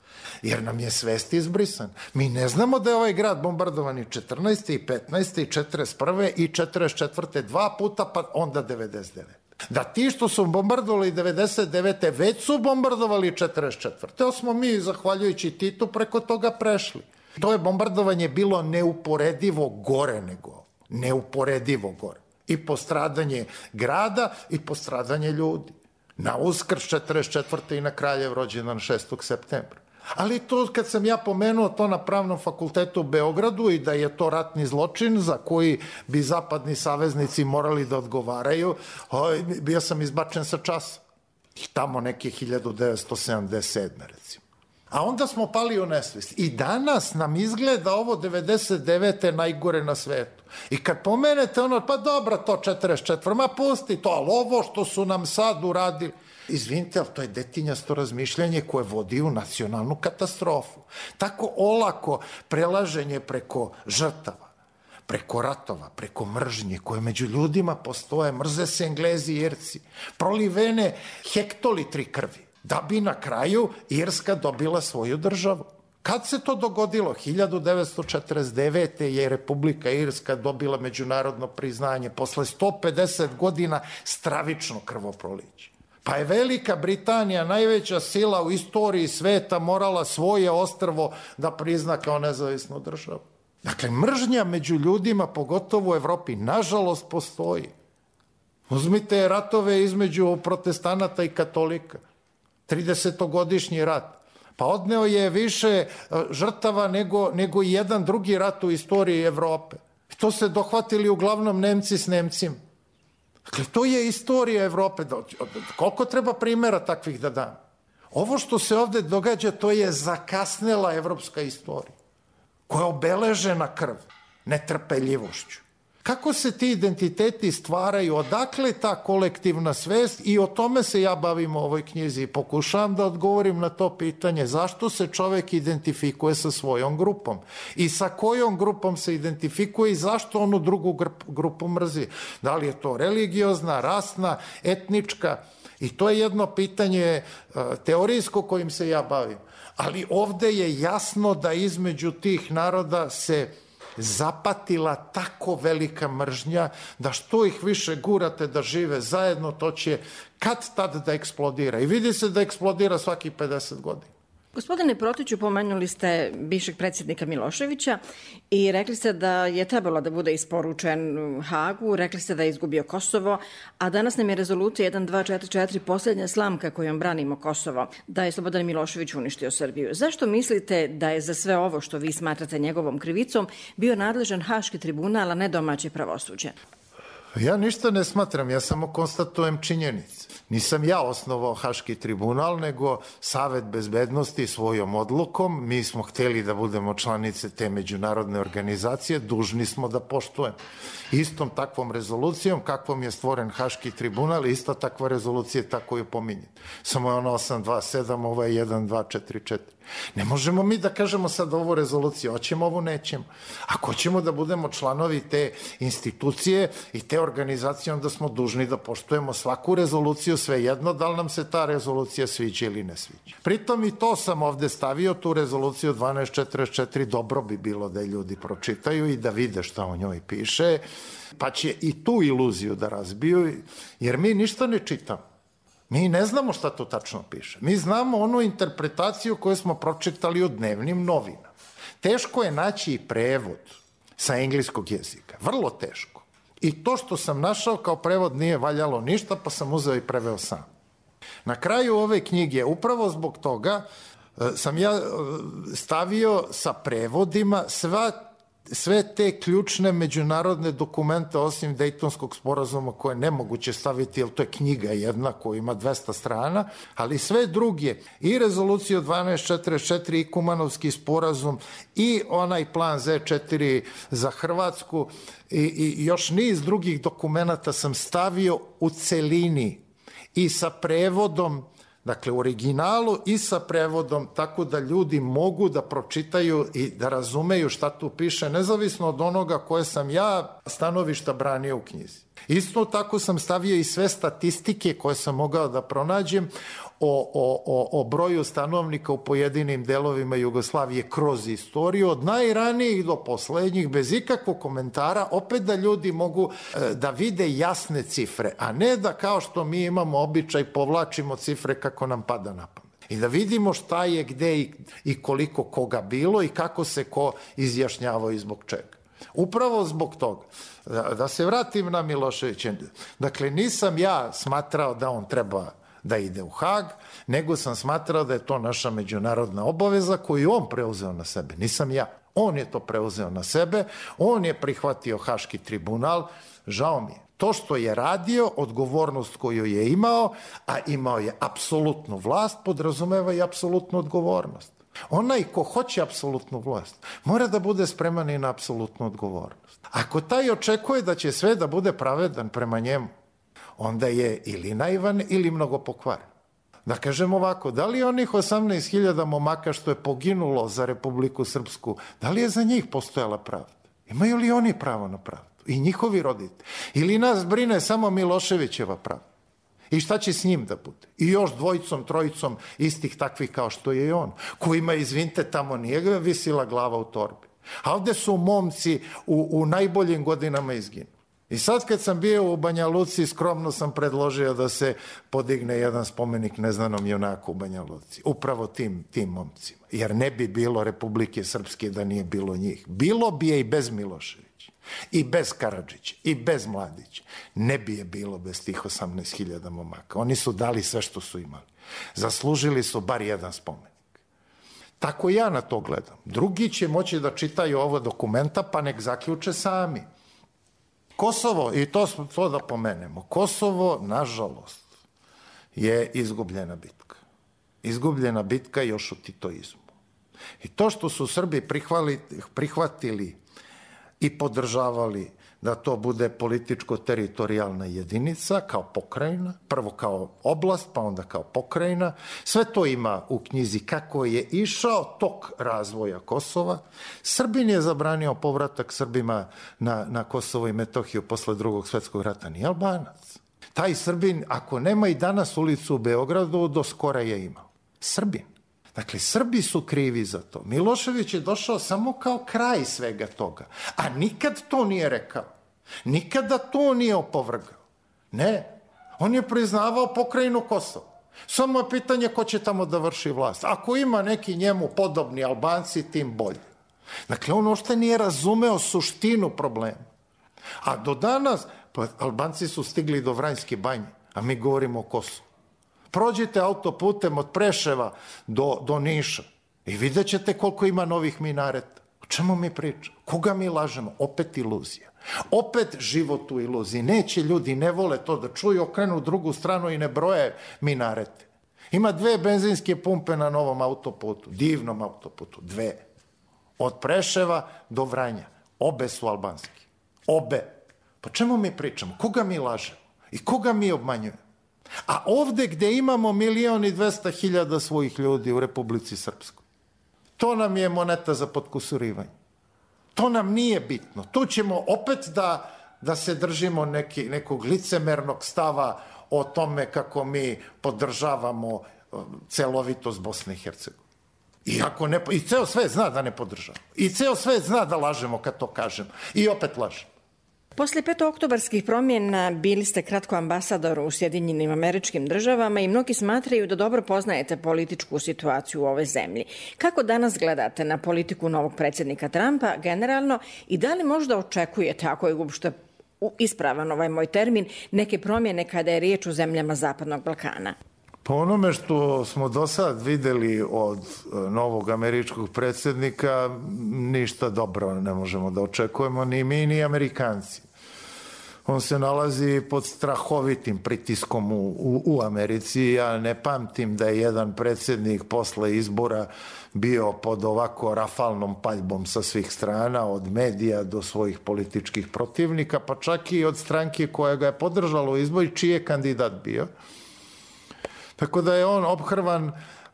Jer nam je svest izbrisan. Mi ne znamo da je ovaj grad bombardovan i 14. i 15. i 41. i 44. 2 puta, pa onda 99. Da ti što su bombardovali 99. već su bombardovali 44. To smo mi, zahvaljujući Titu, preko toga prešli. To je bombardovanje bilo neuporedivo gore nego. Neuporedivo gore. I postradanje grada i postradanje ljudi. Na Uskrs 44. i na Kraljev rođendan 6. septembra. Ali to kad sam ja pomenuo to na Pravnom fakultetu u Beogradu i da je to ratni zločin za koji bi zapadni saveznici morali da odgovaraju, bio sam izbačen sa časa. I tamo neke 1977. recimo. A onda smo pali u nesvest. I danas nam izgleda ovo 99. najgore na svetu. I kad pomenete ono, pa dobro, to 44. Ma pusti to, ali ovo što su nam sad uradili. Izvinite, ali to je detinjasto razmišljanje koje vodi u nacionalnu katastrofu. Tako olako prelaženje preko žrtava, preko ratova, preko mržnje koje među ljudima postoje, mrze se Englezi i Irci, prolivene hektolitri krvi, da bi na kraju Irska dobila svoju državu. Kad se to dogodilo? 1949. je Republika Irska dobila međunarodno priznanje posle 150 godina stravično krvoproliće. Pa je Velika Britanija, najveća sila u istoriji sveta, morala svoje ostrvo da prizna kao nezavisnu državu. Dakle, mržnja među ljudima, pogotovo u Evropi, nažalost postoji. Uzmite ratove između protestanata i katolika. 30-godišnji rat. Pa odneo je više žrtava nego jedan drugi rat u istoriji Evrope. I to se dohvatili uglavnom Nemci s Nemcima. Dakle, to je istorija Evrope. Koliko treba primjera takvih da dam? Ovo što se ovde događa, to je zakasnela evropska istorija, koja je obeležena krv, netrpeljivošću. Kako se ti identiteti stvaraju, odakle ta kolektivna svest, i o tome se ja bavim u ovoj knjizi i pokušavam da odgovorim na to pitanje zašto se čovek identifikuje sa svojom grupom i sa kojom grupom se identifikuje i zašto onu drugu grupu mrzi. Da li je to religiozna, rasna, etnička, i to je jedno pitanje teorijsko kojim se ja bavim. Ali ovde je jasno da između tih naroda se zapatila tako velika mržnja da što ih više gurate da žive zajedno, to će kad tad da eksplodira. I vidi se da eksplodira svaki 50 godina. Gospodine Protiću, pomenuli ste bivšeg predsjednika Miloševića i rekli ste da je trebalo da bude isporučen Hagu, rekli ste da je izgubio Kosovo, a danas nam je rezolucija 1244 posljednja slamka kojom branimo Kosovo, da je Slobodan Milošević uništio Srbiju. Zašto mislite da je za sve ovo što vi smatrate njegovom krivicom bio nadležan Haški tribunal, a ne domaće pravosuđe? Ja ništa ne smatram, ja samo konstatujem činjenice. Nisam ja osnovao Haški tribunal, nego Savet bezbednosti svojom odlukom. Mi smo hteli da budemo članice te međunarodne organizacije, dužni smo da poštujemo. Istom takvom rezolucijom, kakvom je stvoren Haški tribunal, ista takva rezolucija tako je pominjena. Samo je ona 827, ovo je 1244. Ne možemo mi da kažemo sad ovu rezoluciju, hoćemo ovu, nećemo. Ako hoćemo da budemo članovi te institucije i te organizacije, onda smo dužni da poštujemo svaku rezoluciju, svejedno da li nam se ta rezolucija sviđa ili ne sviđa. Pritom i to sam ovde stavio, tu rezoluciju 1244, dobro bi bilo da ljudi pročitaju i da vide šta o njoj piše, pa će i tu iluziju da razbiju, jer mi ništa ne čitamo. Mi ne znamo šta to tačno piše. Mi znamo onu interpretaciju koju smo pročitali u dnevnim novinama. Teško je naći i prevod sa engleskog jezika. Vrlo teško. I to što sam našao kao prevod nije valjalo ništa, pa sam uzeo i preveo sam. Na kraju ove knjige, upravo zbog toga, sam ja stavio sa prevodima sve te ključne međunarodne dokumente osim Dejtonskog sporazuma koje je nemoguće staviti, jer to je knjiga jedna koja ima 200 strana, ali sve druge, i rezoluciju 1244 i Kumanovski sporazum i onaj plan Z4 za Hrvatsku i još niz drugih dokumenata sam stavio u celini i sa prevodom, dakle u originalu i sa prevodom, tako da ljudi mogu da pročitaju i da razumeju šta tu piše, nezavisno od onoga koje sam ja stanovišta branio u knjizi. Isto tako sam stavio i sve statistike koje sam mogao da pronađem o broju stanovnika u pojedinim delovima Jugoslavije kroz istoriju, od najranijih do poslednjih, bez ikakvog komentara, opet da ljudi mogu da vide jasne cifre, a ne da kao što mi imamo običaj povlačimo cifre kako nam pada na pamet. I da vidimo šta je, gde i koliko koga bilo i kako se ko izjašnjavao i zbog čega. Upravo zbog toga. Da se vratim na Miloševića. Dakle, nisam ja smatrao da on treba da ide u Hag, nego sam smatrao da je to naša međunarodna obaveza koju on preuzeo na sebe. Nisam ja. On je to preuzeo na sebe, on je prihvatio Haški tribunal, žao mi je. To što je radio, odgovornost koju je imao, a imao je apsolutnu vlast, podrazumeva i apsolutnu odgovornost. Onaj ko hoće apsolutnu vlast, mora da bude spreman i na apsolutnu odgovornost. Ako taj očekuje da će sve da bude pravedan prema njemu, onda je ili naivan ili mnogo pokvaren. Da kažem ovako, da li onih 18.000 momaka što je poginulo za Republiku Srpsku, da li je za njih postojala pravda? Imaju li oni pravo na pravdu? I njihovi roditelji? Ili nas brine samo Miloševićeva pravda? I šta će s njim da bude? I još dvojicom, trojicom istih takvih kao što je i on, kojima, izvinite, tamo nije visila glava u torbi. A ovde su momci u najboljim godinama izginuli. I sad kad sam bio u Banja Luci, skromno sam predložio da se podigne jedan spomenik neznanom junaku u Banja Luci. Upravo tim momcima. Jer ne bi bilo Republike Srpske da nije bilo njih. Bilo bi je i bez Miloševića, i bez Karadžića, i bez Mladića. Ne bi je bilo bez tih 18.000 momaka. Oni su dali sve što su imali. Zaslužili su bar jedan spomenik. Tako ja na to gledam. Drugi će moći da čitaju ovo dokumenta, pa nek zaključe sami. Kosovo, i to da pomenemo, Kosovo, nažalost, je izgubljena bitka. Izgubljena bitka još u titoizmu. I to što su Srbi prihvatili i podržavali da to bude političko-teritorijalna jedinica kao pokrajina, prvo kao oblast, pa onda kao pokrajina. Sve to ima u knjizi kako je išao tok razvoja Kosova. Srbin je zabranio povratak Srbima na Kosovo i Metohiju posle Drugog svetskog rata, nije Albanac. Taj Srbin, ako nema i danas ulicu u Beogradu, do skora je imao. Srbin. Dakle, Srbi su krivi za to. Milošević je došao samo kao kraj svega toga, a nikad to nije rekao. Nikada to nije opovrgao. Ne, on je priznavao pokrajinu Kosova. Samo je pitanje ko će tamo da vrši vlast. Ako ima neki njemu podobni Albanci, tim bolje. Dakle, on uopšte nije razumeo suštinu problema. A do danas, pa Albanci su stigli do Vranjske banje, a mi govorimo o Kosovu. Prođite autoputem od Preševa do Niša i vidjet ćete koliko ima novih minareta. čemu mi pričamo? Koga mi lažemo? Opet iluzija. Opet život u iluziji. Neće ljudi, ne vole to da čuju, okrenu u drugu stranu i ne broje minarete. Ima 2 benzinske pumpe na novom autoputu, divnom autoputu, 2. Od Preševa do Vranja. Obe su albanski. Obe. Pa čemu mi pričamo? Koga mi lažemo? I koga mi obmanjujemo? A ovde gde imamo 1.200.000 svojih ljudi u Republici Srpskoj, to nam je moneta za potkusurivanje. To nam nije bitno. Tu ćemo opet da se držimo nekog licemernog stava o tome kako mi podržavamo celovitost Bosne i Hercegovine. I ceo svet zna da ne podržavamo. I ceo svet zna da lažemo kad to kažemo. I opet lažemo. Posle 5. oktobarskih promjena bili ste kratko ambasador u Sjedinjenim Američkim Državama i mnogi smatraju da dobro poznajete političku situaciju u ovoj zemlji. Kako danas gledate na politiku novog predsjednika Trumpa generalno i da li možda očekujete, ako je uopšte ispravan ovaj moj termin, neke promjene kada je riječ o zemljama Zapadnog Balkana? Po onome što smo do sad videli od novog američkog predsjednika, ništa dobro ne možemo da očekujemo, ni mi, ni Amerikanci. On se nalazi pod strahovitim pritiskom u Americi. Ja ne pamtim da je jedan predsjednik posle izbora bio pod ovako rafalnom paljbom sa svih strana, od medija do svojih političkih protivnika, pa čak i od stranke koja ga je podržala u izboru, čiji je kandidat bio. Tako da je on ophrvan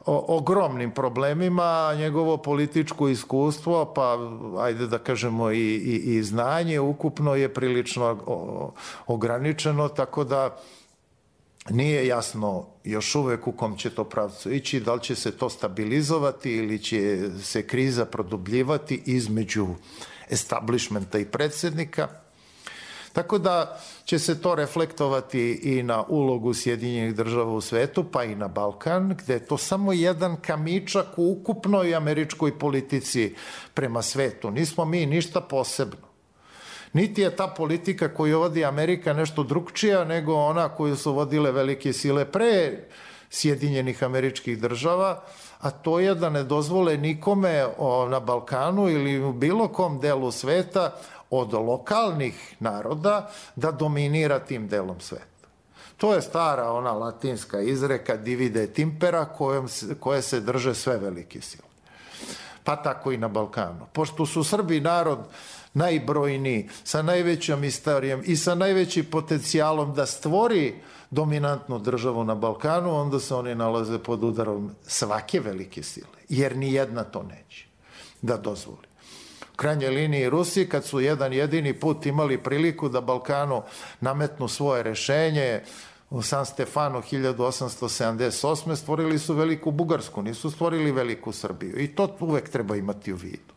ogromnim problemima, njegovo političko iskustvo, pa ajde da kažemo i znanje ukupno je prilično ograničeno, tako da nije jasno još uvek u kom će to pravcu ići, da li će se to stabilizovati ili će se kriza produbljivati između establishmenta i predsjednika. Tako da će se to reflektovati i na ulogu Sjedinjenih Država u svetu, pa i na Balkan, gde je to samo jedan kamičak u ukupnoj američkoj politici prema svetu. Nismo mi ništa posebno. Niti je ta politika koju vodi Amerika nešto drugčija nego ona koju su vodile velike sile pre Sjedinjenih Američkih Država, a to je da ne dozvole nikome na Balkanu ili u bilo kom delu sveta od lokalnih naroda da dominira tim delom sveta. To je stara ona latinska izreka divide et impera koje se drže sve velike sile. Pa tako i na Balkanu. Pošto su Srbi narod najbrojniji, sa najvećom istorijom i sa najvećim potencijalom da stvori dominantnu državu na Balkanu, onda se oni nalaze pod udarom svake velike sile, jer ni jedna to neće da dozvoli. U krajnjoj liniji Rusi, kad su jedan jedini put imali priliku da Balkanu nametnu svoje rešenje, u San Stefanu 1878. stvorili su veliku Bugarsku, nisu stvorili veliku Srbiju. I to uvek treba imati u vidu.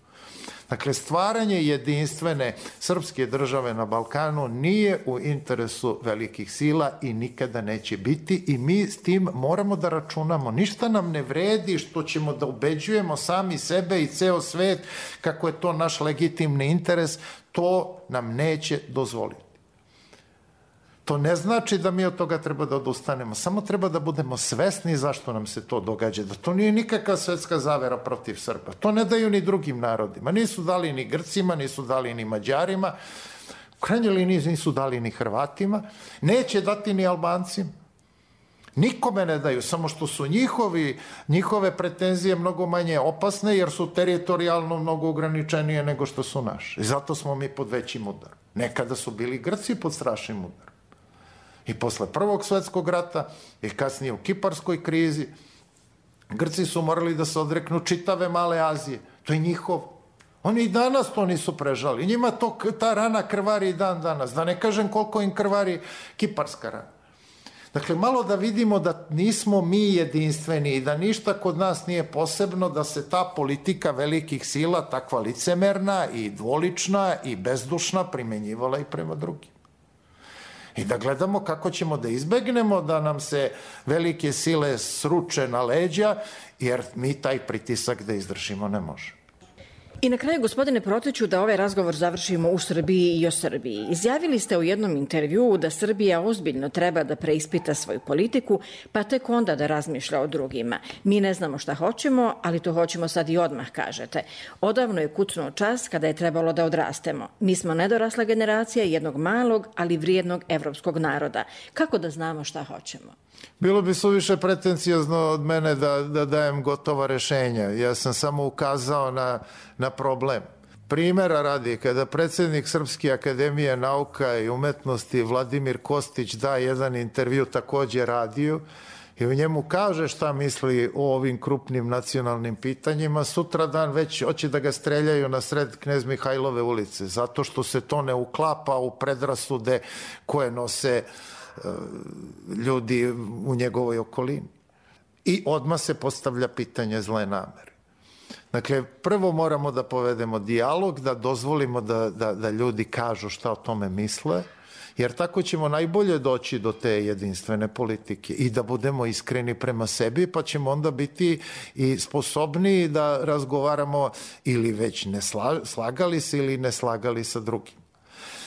Dakle, stvaranje jedinstvene srpske države na Balkanu nije u interesu velikih sila i nikada neće biti i mi s tim moramo da računamo. Ništa nam ne vredi što ćemo da ubeđujemo sami sebe i ceo svet kako je to naš legitimni interes, to nam neće dozvoliti. To ne znači da mi od toga treba da odustanemo, samo treba da budemo svesni zašto nam se to događa, da to nije nikakva svetska zavera protiv Srba. To ne daju ni drugim narodima, nisu dali ni Grcima, nisu dali ni Mađarima, u krajnjoj liniji nisu dali ni Hrvatima, neće dati ni Albancima. Nikome ne daju, samo što su njihove pretenzije mnogo manje opasne jer su teritorijalno mnogo ograničenije nego što su naše. I zato smo mi pod većim udarom. Nekada su bili Grci pod strašnim udarom. I posle Prvog svetskog rata i kasnije u Kiparskoj krizi, Grci su morali da se odreknu čitave Male Azije. To je njihovo. Oni i danas to nisu prežali. Njima ta rana krvari i dan danas. Da ne kažem koliko im krvari Kiparska rana. Dakle, malo da vidimo da nismo mi jedinstveni i da ništa kod nas nije posebno, da se ta politika velikih sila, takva licemerna i dvolična i bezdušna, primenjivala i prema drugim. I da gledamo kako ćemo da izbegnemo da nam se velike sile sruče na leđa, jer mi taj pritisak da izdržimo ne možemo. I na kraju, gospodine Protiću, da ovaj razgovor završimo u Srbiji i o Srbiji. Izjavili ste u jednom intervjuu da Srbija ozbiljno treba da preispita svoju politiku, pa tek onda da razmišlja o drugima. Mi ne znamo šta hoćemo, ali to hoćemo sad i odmah, kažete. Odavno je kucnuo čas kada je trebalo da odrastemo. Mi smo nedorasla generacija jednog malog, ali vrijednog evropskog naroda. Kako da znamo šta hoćemo? Bilo bi suviše pretencijozno od mene da dajem gotova rešenja. Ja sam samo ukazao na problem. Primera radi, kada predsjednik Srpske akademije nauka i umetnosti Vladimir Kostić da jedan intervju također radiju i u njemu kaže šta misli o ovim krupnim nacionalnim pitanjima, sutradan već hoće da ga streljaju na sred Knez Mihajlove ulice, zato što se to ne uklapa u predrasude koje nose ljudi u njegovoj okolini. I odmah se postavlja pitanje zle namere. Dakle, prvo moramo da povedemo dijalog, da dozvolimo da ljudi kažu šta o tome misle, jer tako ćemo najbolje doći do te jedinstvene politike i da budemo iskreni prema sebi, pa ćemo onda biti i sposobni da razgovaramo ili već ne slagali se ili ne slagali sa drugim.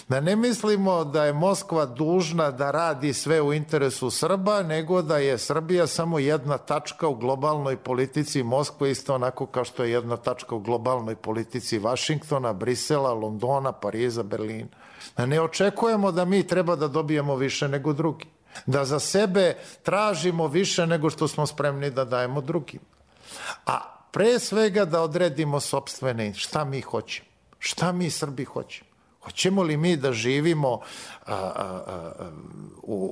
Da ne mislimo da je Moskva dužna da radi sve u interesu Srba, nego da je Srbija samo jedna tačka u globalnoj politici Moskve, isto onako kao što je jedna tačka u globalnoj politici Vašingtona, Brisela, Londona, Pariza, Berlina. Da ne očekujemo da mi treba da dobijemo više nego drugi. Da za sebe tražimo više nego što smo spremni da dajemo drugim. A pre svega da odredimo sopstvene šta mi hoćemo. Šta mi Srbi hoćemo. Hoćemo li mi da živimo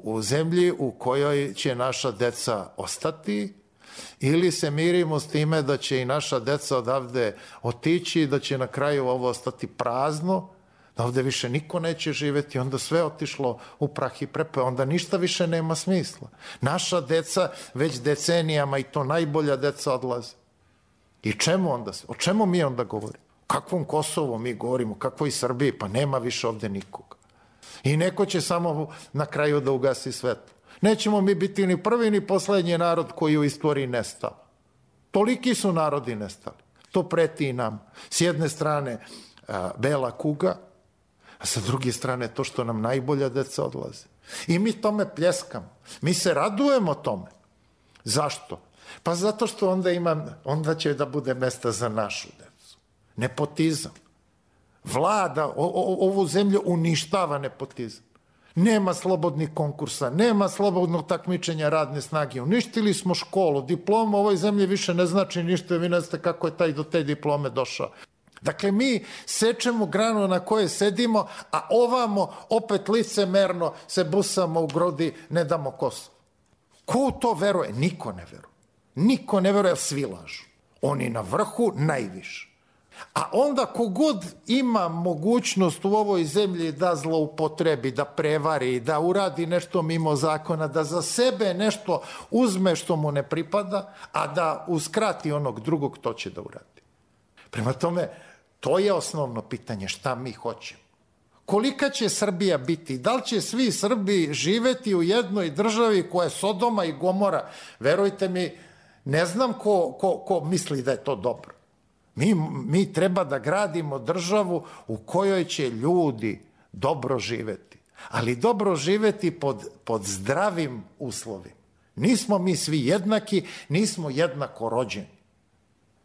u zemlji u kojoj će naša deca ostati ili se mirimo s time da će i naša deca odavde otići i da će na kraju ovo ostati prazno, da ovde više niko neće živeti, onda sve otišlo u prah i prepeo, onda ništa više nema smisla. Naša deca već decenijama i to najbolja deca odlaze. I čemu onda? O čemu mi onda govorimo? Kakvom Kosovu mi govorimo, kakvoj Srbiji, pa nema više ovde nikoga. I neko će samo na kraju da ugasi svetlo. Nećemo mi biti ni prvi ni poslednji narod koji u istoriji nestao. Toliki su narodi nestali. To preti i nam. S jedne strane bela kuga, a sa druge strane to što nam najbolja deca odlaze. I mi tome pljeskamo. Mi se radujemo tome. Zašto? Pa zato što onda će da bude mesta za našu decu. Nepotizam. Vlada, ovu zemlju uništava nepotizam. Nema slobodnih konkursa, nema slobodnog takmičenja radne snage. Uništili smo školu, diploma u ovoj zemlji više ne znači ništa, vi ne znate kako je taj do te diplome došao. Dakle, mi sečemo granu na kojoj sedimo, a ovamo opet licemerno se busamo u grudi, ne damo Kosovo. Ko u to veruje? Niko ne veruje. Niko ne veruje, svi lažu. Oni na vrhu najviše. A onda kogod ima mogućnost u ovoj zemlji da zloupotrebi, da prevari, da uradi nešto mimo zakona, da za sebe nešto uzme što mu ne pripada, a da uskrati onog drugog, to će da uradi. Prema tome, to je osnovno pitanje, šta mi hoćemo. Kolika će Srbija biti? Da li će svi Srbi živeti u jednoj državi koja je Sodoma i Gomora? Verujte mi, ne znam ko misli da je to dobro. Mi treba da gradimo državu u kojoj će ljudi dobro živeti. Ali dobro živeti pod zdravim uslovima. Nismo mi svi jednaki, nismo jednako rođeni.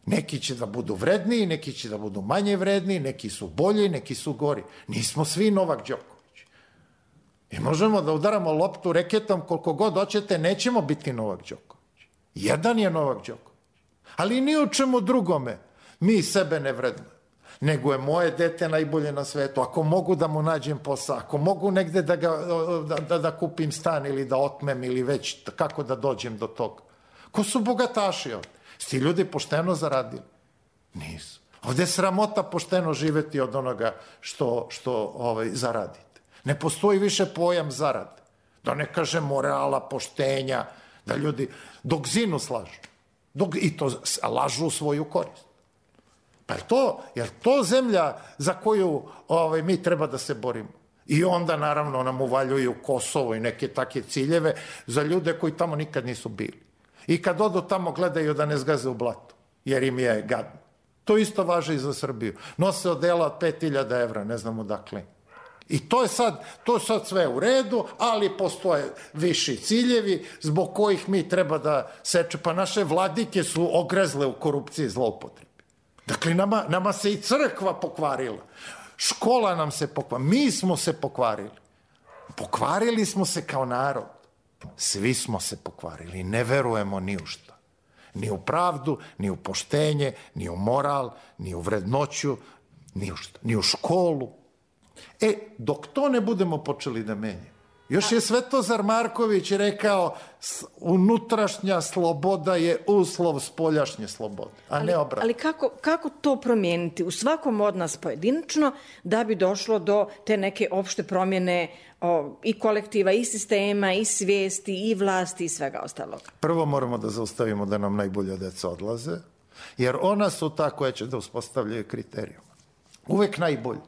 Neki će da budu vredniji, neki će da budu manje vredniji, neki su bolji, neki su gori. Nismo svi Novak Đoković. I možemo da udaramo loptu reketom koliko god hoćete, nećemo biti Novak Đoković. Jedan je Novak Đoković. Ali ni u čemu drugome mi sebe ne vrednujemo. Nego je moje dete najbolje na svetu. Ako mogu da mu nađem posao, ako mogu negde da kupim stan ili da otmem ili već kako da dođem do toga. Ko su bogataši ovde? Sti ljudi pošteno zaradili? Nisu. Ovde je sramota pošteno živeti od onoga što zaradite. Ne postoji više pojam zarade. Da ne kažem morala, poštenja, da ljudi dok zinu slažu. I to lažu u svoju korist. Pa je to zemlja za koju mi treba da se borimo? I onda naravno nam uvaljuju Kosovo i neke takve ciljeve za ljude koji tamo nikad nisu bili. I kad odu tamo gledaju da ne zgaze u blatu, jer im je gadno. To isto važi i za Srbiju. Nose odela od 5.000 evra, ne znam odakle. I to je sad sve u redu, ali postoje viši ciljevi zbog kojih mi treba da seče. Pa naše vladike su ogrezle u korupciji i zloupotrebi. Dakle, nama se i crkva pokvarila. Škola nam se pokvarila. Mi smo se pokvarili. Pokvarili smo se kao narod. Svi smo se pokvarili. Ne verujemo ni u šta. Ni u pravdu, ni u poštenje, ni u moral, ni u vrednoću, ni u školu. Dok to ne budemo počeli da menjamo. Još je Svetozar Marković rekao, unutrašnja sloboda je uslov spoljašnje slobode, a ne obratno. Ali kako to promijeniti u svakom od nas pojedinačno da bi došlo do te neke opšte promjene i kolektiva, i sistema, i svijesti, i vlasti, i svega ostalog? Prvo moramo da zaustavimo da nam najbolja deca odlaze, jer ona su ta koja će da uspostavljaju kriterijum. Uvek najbolji.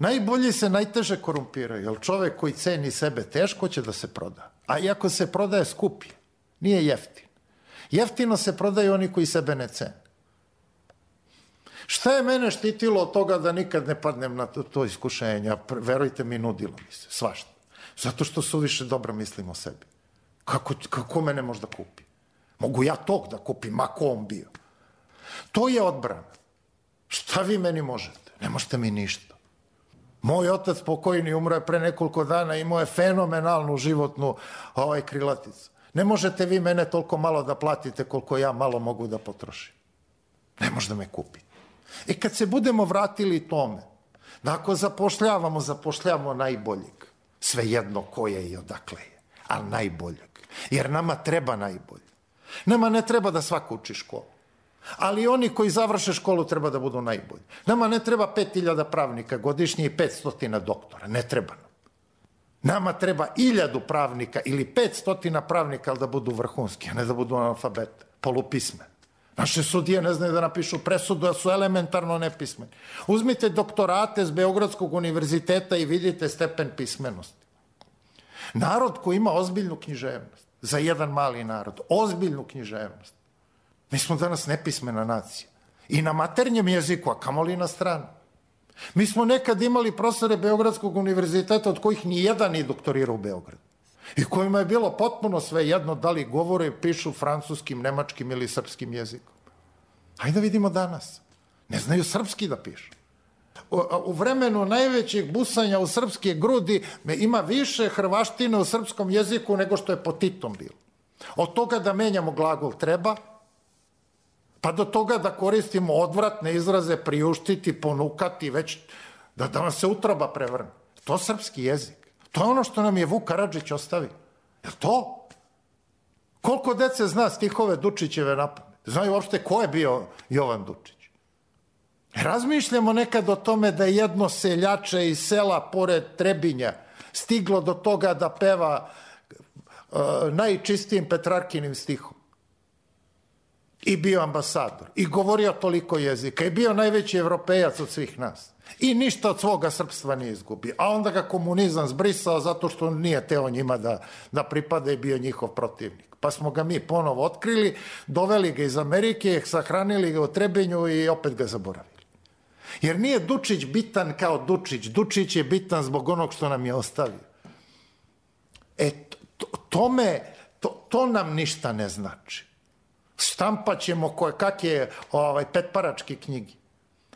Najbolji se najteže korumpiraju, jer čovek koji ceni sebe teško će da se proda. A iako se prodaje skuplje, nije jeftin. Jeftino se prodaju oni koji sebe ne cene. Šta je mene štitilo od toga da nikad ne padnem na to iskušenje? Verujte mi, nudilo mi se, svašta. Zato što suviše dobro mislim o sebi. Kako mene možda kupi? Mogu ja tog da kupim, ma ko on bio. To je odbrana. Šta vi meni možete? Ne možete mi ništa. Moj otac pokojni umro je pre nekoliko dana, imao je fenomenalnu životnu krilaticu. Ne možete vi mene toliko malo da platite koliko ja malo mogu da potrošim. Ne može da me kupi. Kad se budemo vratili tome, da ako zapošljavamo najboljeg, svejedno ko je i odakle je, ali najboljeg. Jer nama treba najbolje. Nama ne treba da svako uči školu. Ali oni koji završe školu treba da budu najbolji. Nama ne treba 5.000 pravnika godišnje i 500 doktora. Ne treba nam. Nama treba 1.000 pravnika ili 500 pravnika, ali da budu vrhunski, a ne da budu analfabete, polupismeni. Naše sudije ne znaju da napišu presudu, da su elementarno nepismeni. Uzmite doktorate s Beogradskog univerziteta i vidite stepen pismenosti. Narod koji ima ozbiljnu književnost, za jedan mali narod, ozbiljnu književnost. Mi smo danas nepismena nacija. I na maternjem jeziku, a kamoli na stranu. Mi smo nekad imali profesore Beogradskog univerziteta od kojih ni jedan nije doktorirao u Beogradu. I kojima je bilo potpuno sve jedno da li govore i pišu francuskim, nemačkim ili srpskim jezikom. Hajde da vidimo danas. Ne znaju srpski da pišu. U vremenu najvećeg busanja u srpske grudi ima više hrvaštine u srpskom jeziku nego što je pod Titom bilo. Od toga da menjamo glagol treba, pa do toga da koristimo odvratne izraze, priuštiti, ponukati, već da vam se utroba prevrne. To je srpski jezik. To je ono što nam je Vuk Karadžić ostavio. Je li to? Koliko dece zna stihove Dučićeve napamet? Znaju uopšte ko je bio Jovan Dučić? Razmišljamo nekad o tome da je jedno seljače iz sela pored Trebinja stiglo do toga da peva najčistijim Petrarkinim stihom. I bio ambasador. I govorio toliko jezika. I bio najveći evropejac od svih nas. I ništa od svoga srpstva nije izgubio. A onda ga komunizam zbrisao zato što nije teo njima da pripada i bio njihov protivnik. Pa smo ga mi ponovo otkrili, doveli ga iz Amerike, sahranili ga u Trebinju i opet ga zaboravili. Jer nije Dučić bitan kao Dučić. Dučić je bitan zbog onog što nam je ostavio. To nam ništa ne znači. Štampat ćemo kakve petparačke knjige.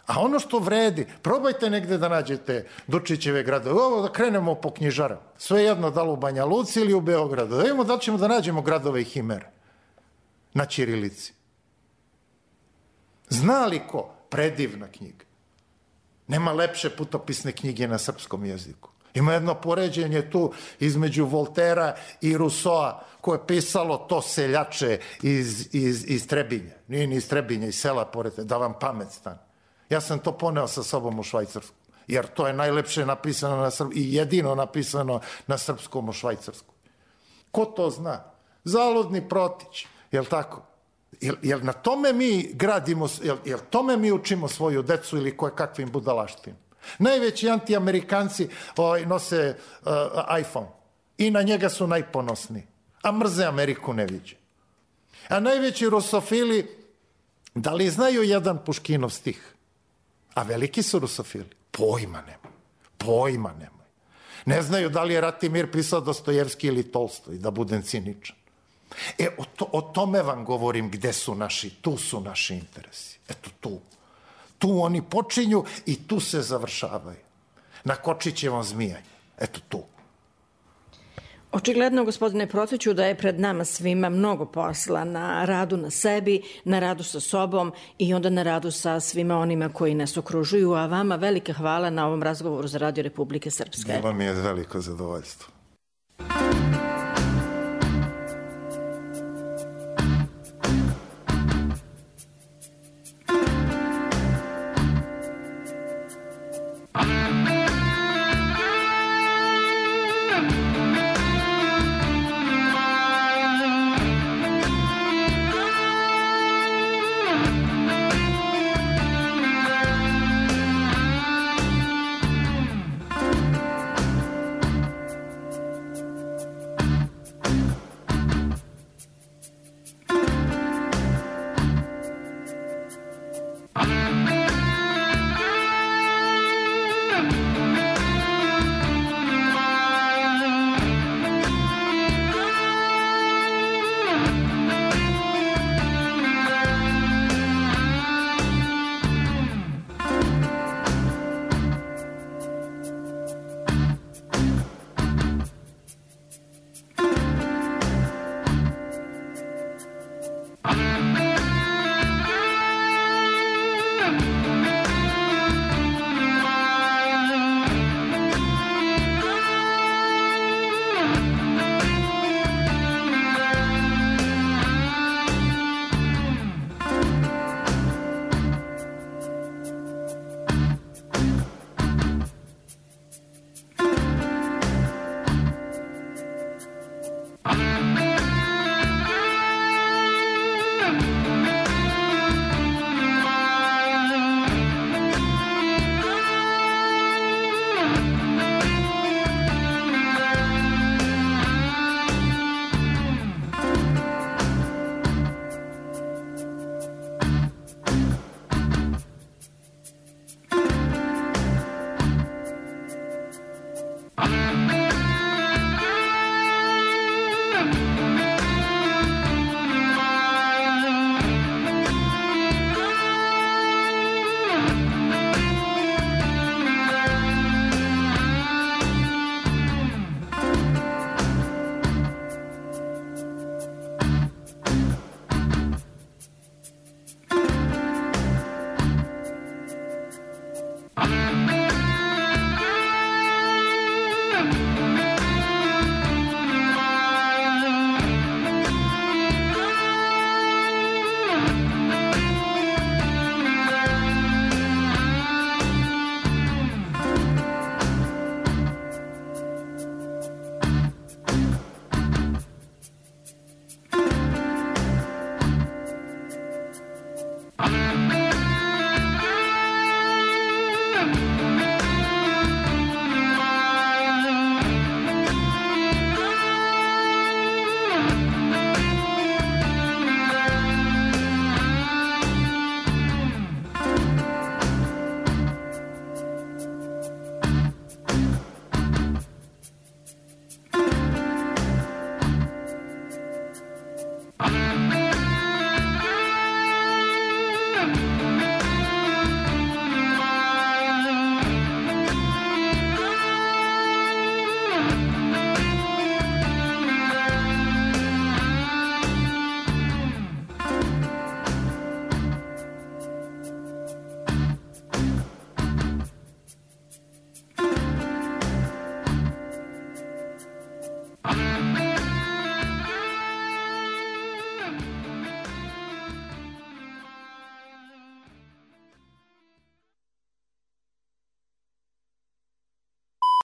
A ono što vredi, probajte negde da nađete Dučićeve gradove. Ovo da krenemo po knjižarama. Sve jedno da li u Banja Luci ili u Beogradu. Da vidimo da li ćemo da nađemo gradove i himere na ćirilici. Zna li ko? Predivna knjiga. Nema lepše putopisne knjige na srpskom jeziku. Ima jedno poređenje tu između Voltera i Rusoa koje je pisalo to seljače iz Trebinja. Nije ni iz Trebinja, iz sela pored, da vam pamet stane. Ja sam to poneo sa sobom u Švajcarsku, jer to je najlepše napisano i jedino napisano na srpskom u Švajcarsku. Ko to zna? Zaludni Protić, jel tako? Jel na tome mi gradimo, jel tome mi učimo svoju decu ili koje kakvim budalaštim? Najveći antiamerikanci nose iPhone i na njega su najponosniji, a mrze Ameriku ne viđe. A najveći rusofili Da li znaju jedan Puškinov stih? A veliki su rusofili. Pojma nemoj. Pojma nemoj. Ne znaju da li je Ratimir pisao Dostojevski ili Tolstoj, da budem ciničan. O tome vam govorim, gde su naši, tu su naši interesi. Eto tu. Tu oni počinju i tu se završavaju. Na Kočićevom zmijanju. Eto tu. Očigledno, gospodine Protiću, da je pred nama svima mnogo posla na radu na sebi, na radu sa sobom i onda na radu sa svima onima koji nas okružuju, a vama velika hvala na ovom razgovoru za Radio Republike Srpske. Bilo mi je veliko zadovoljstvo.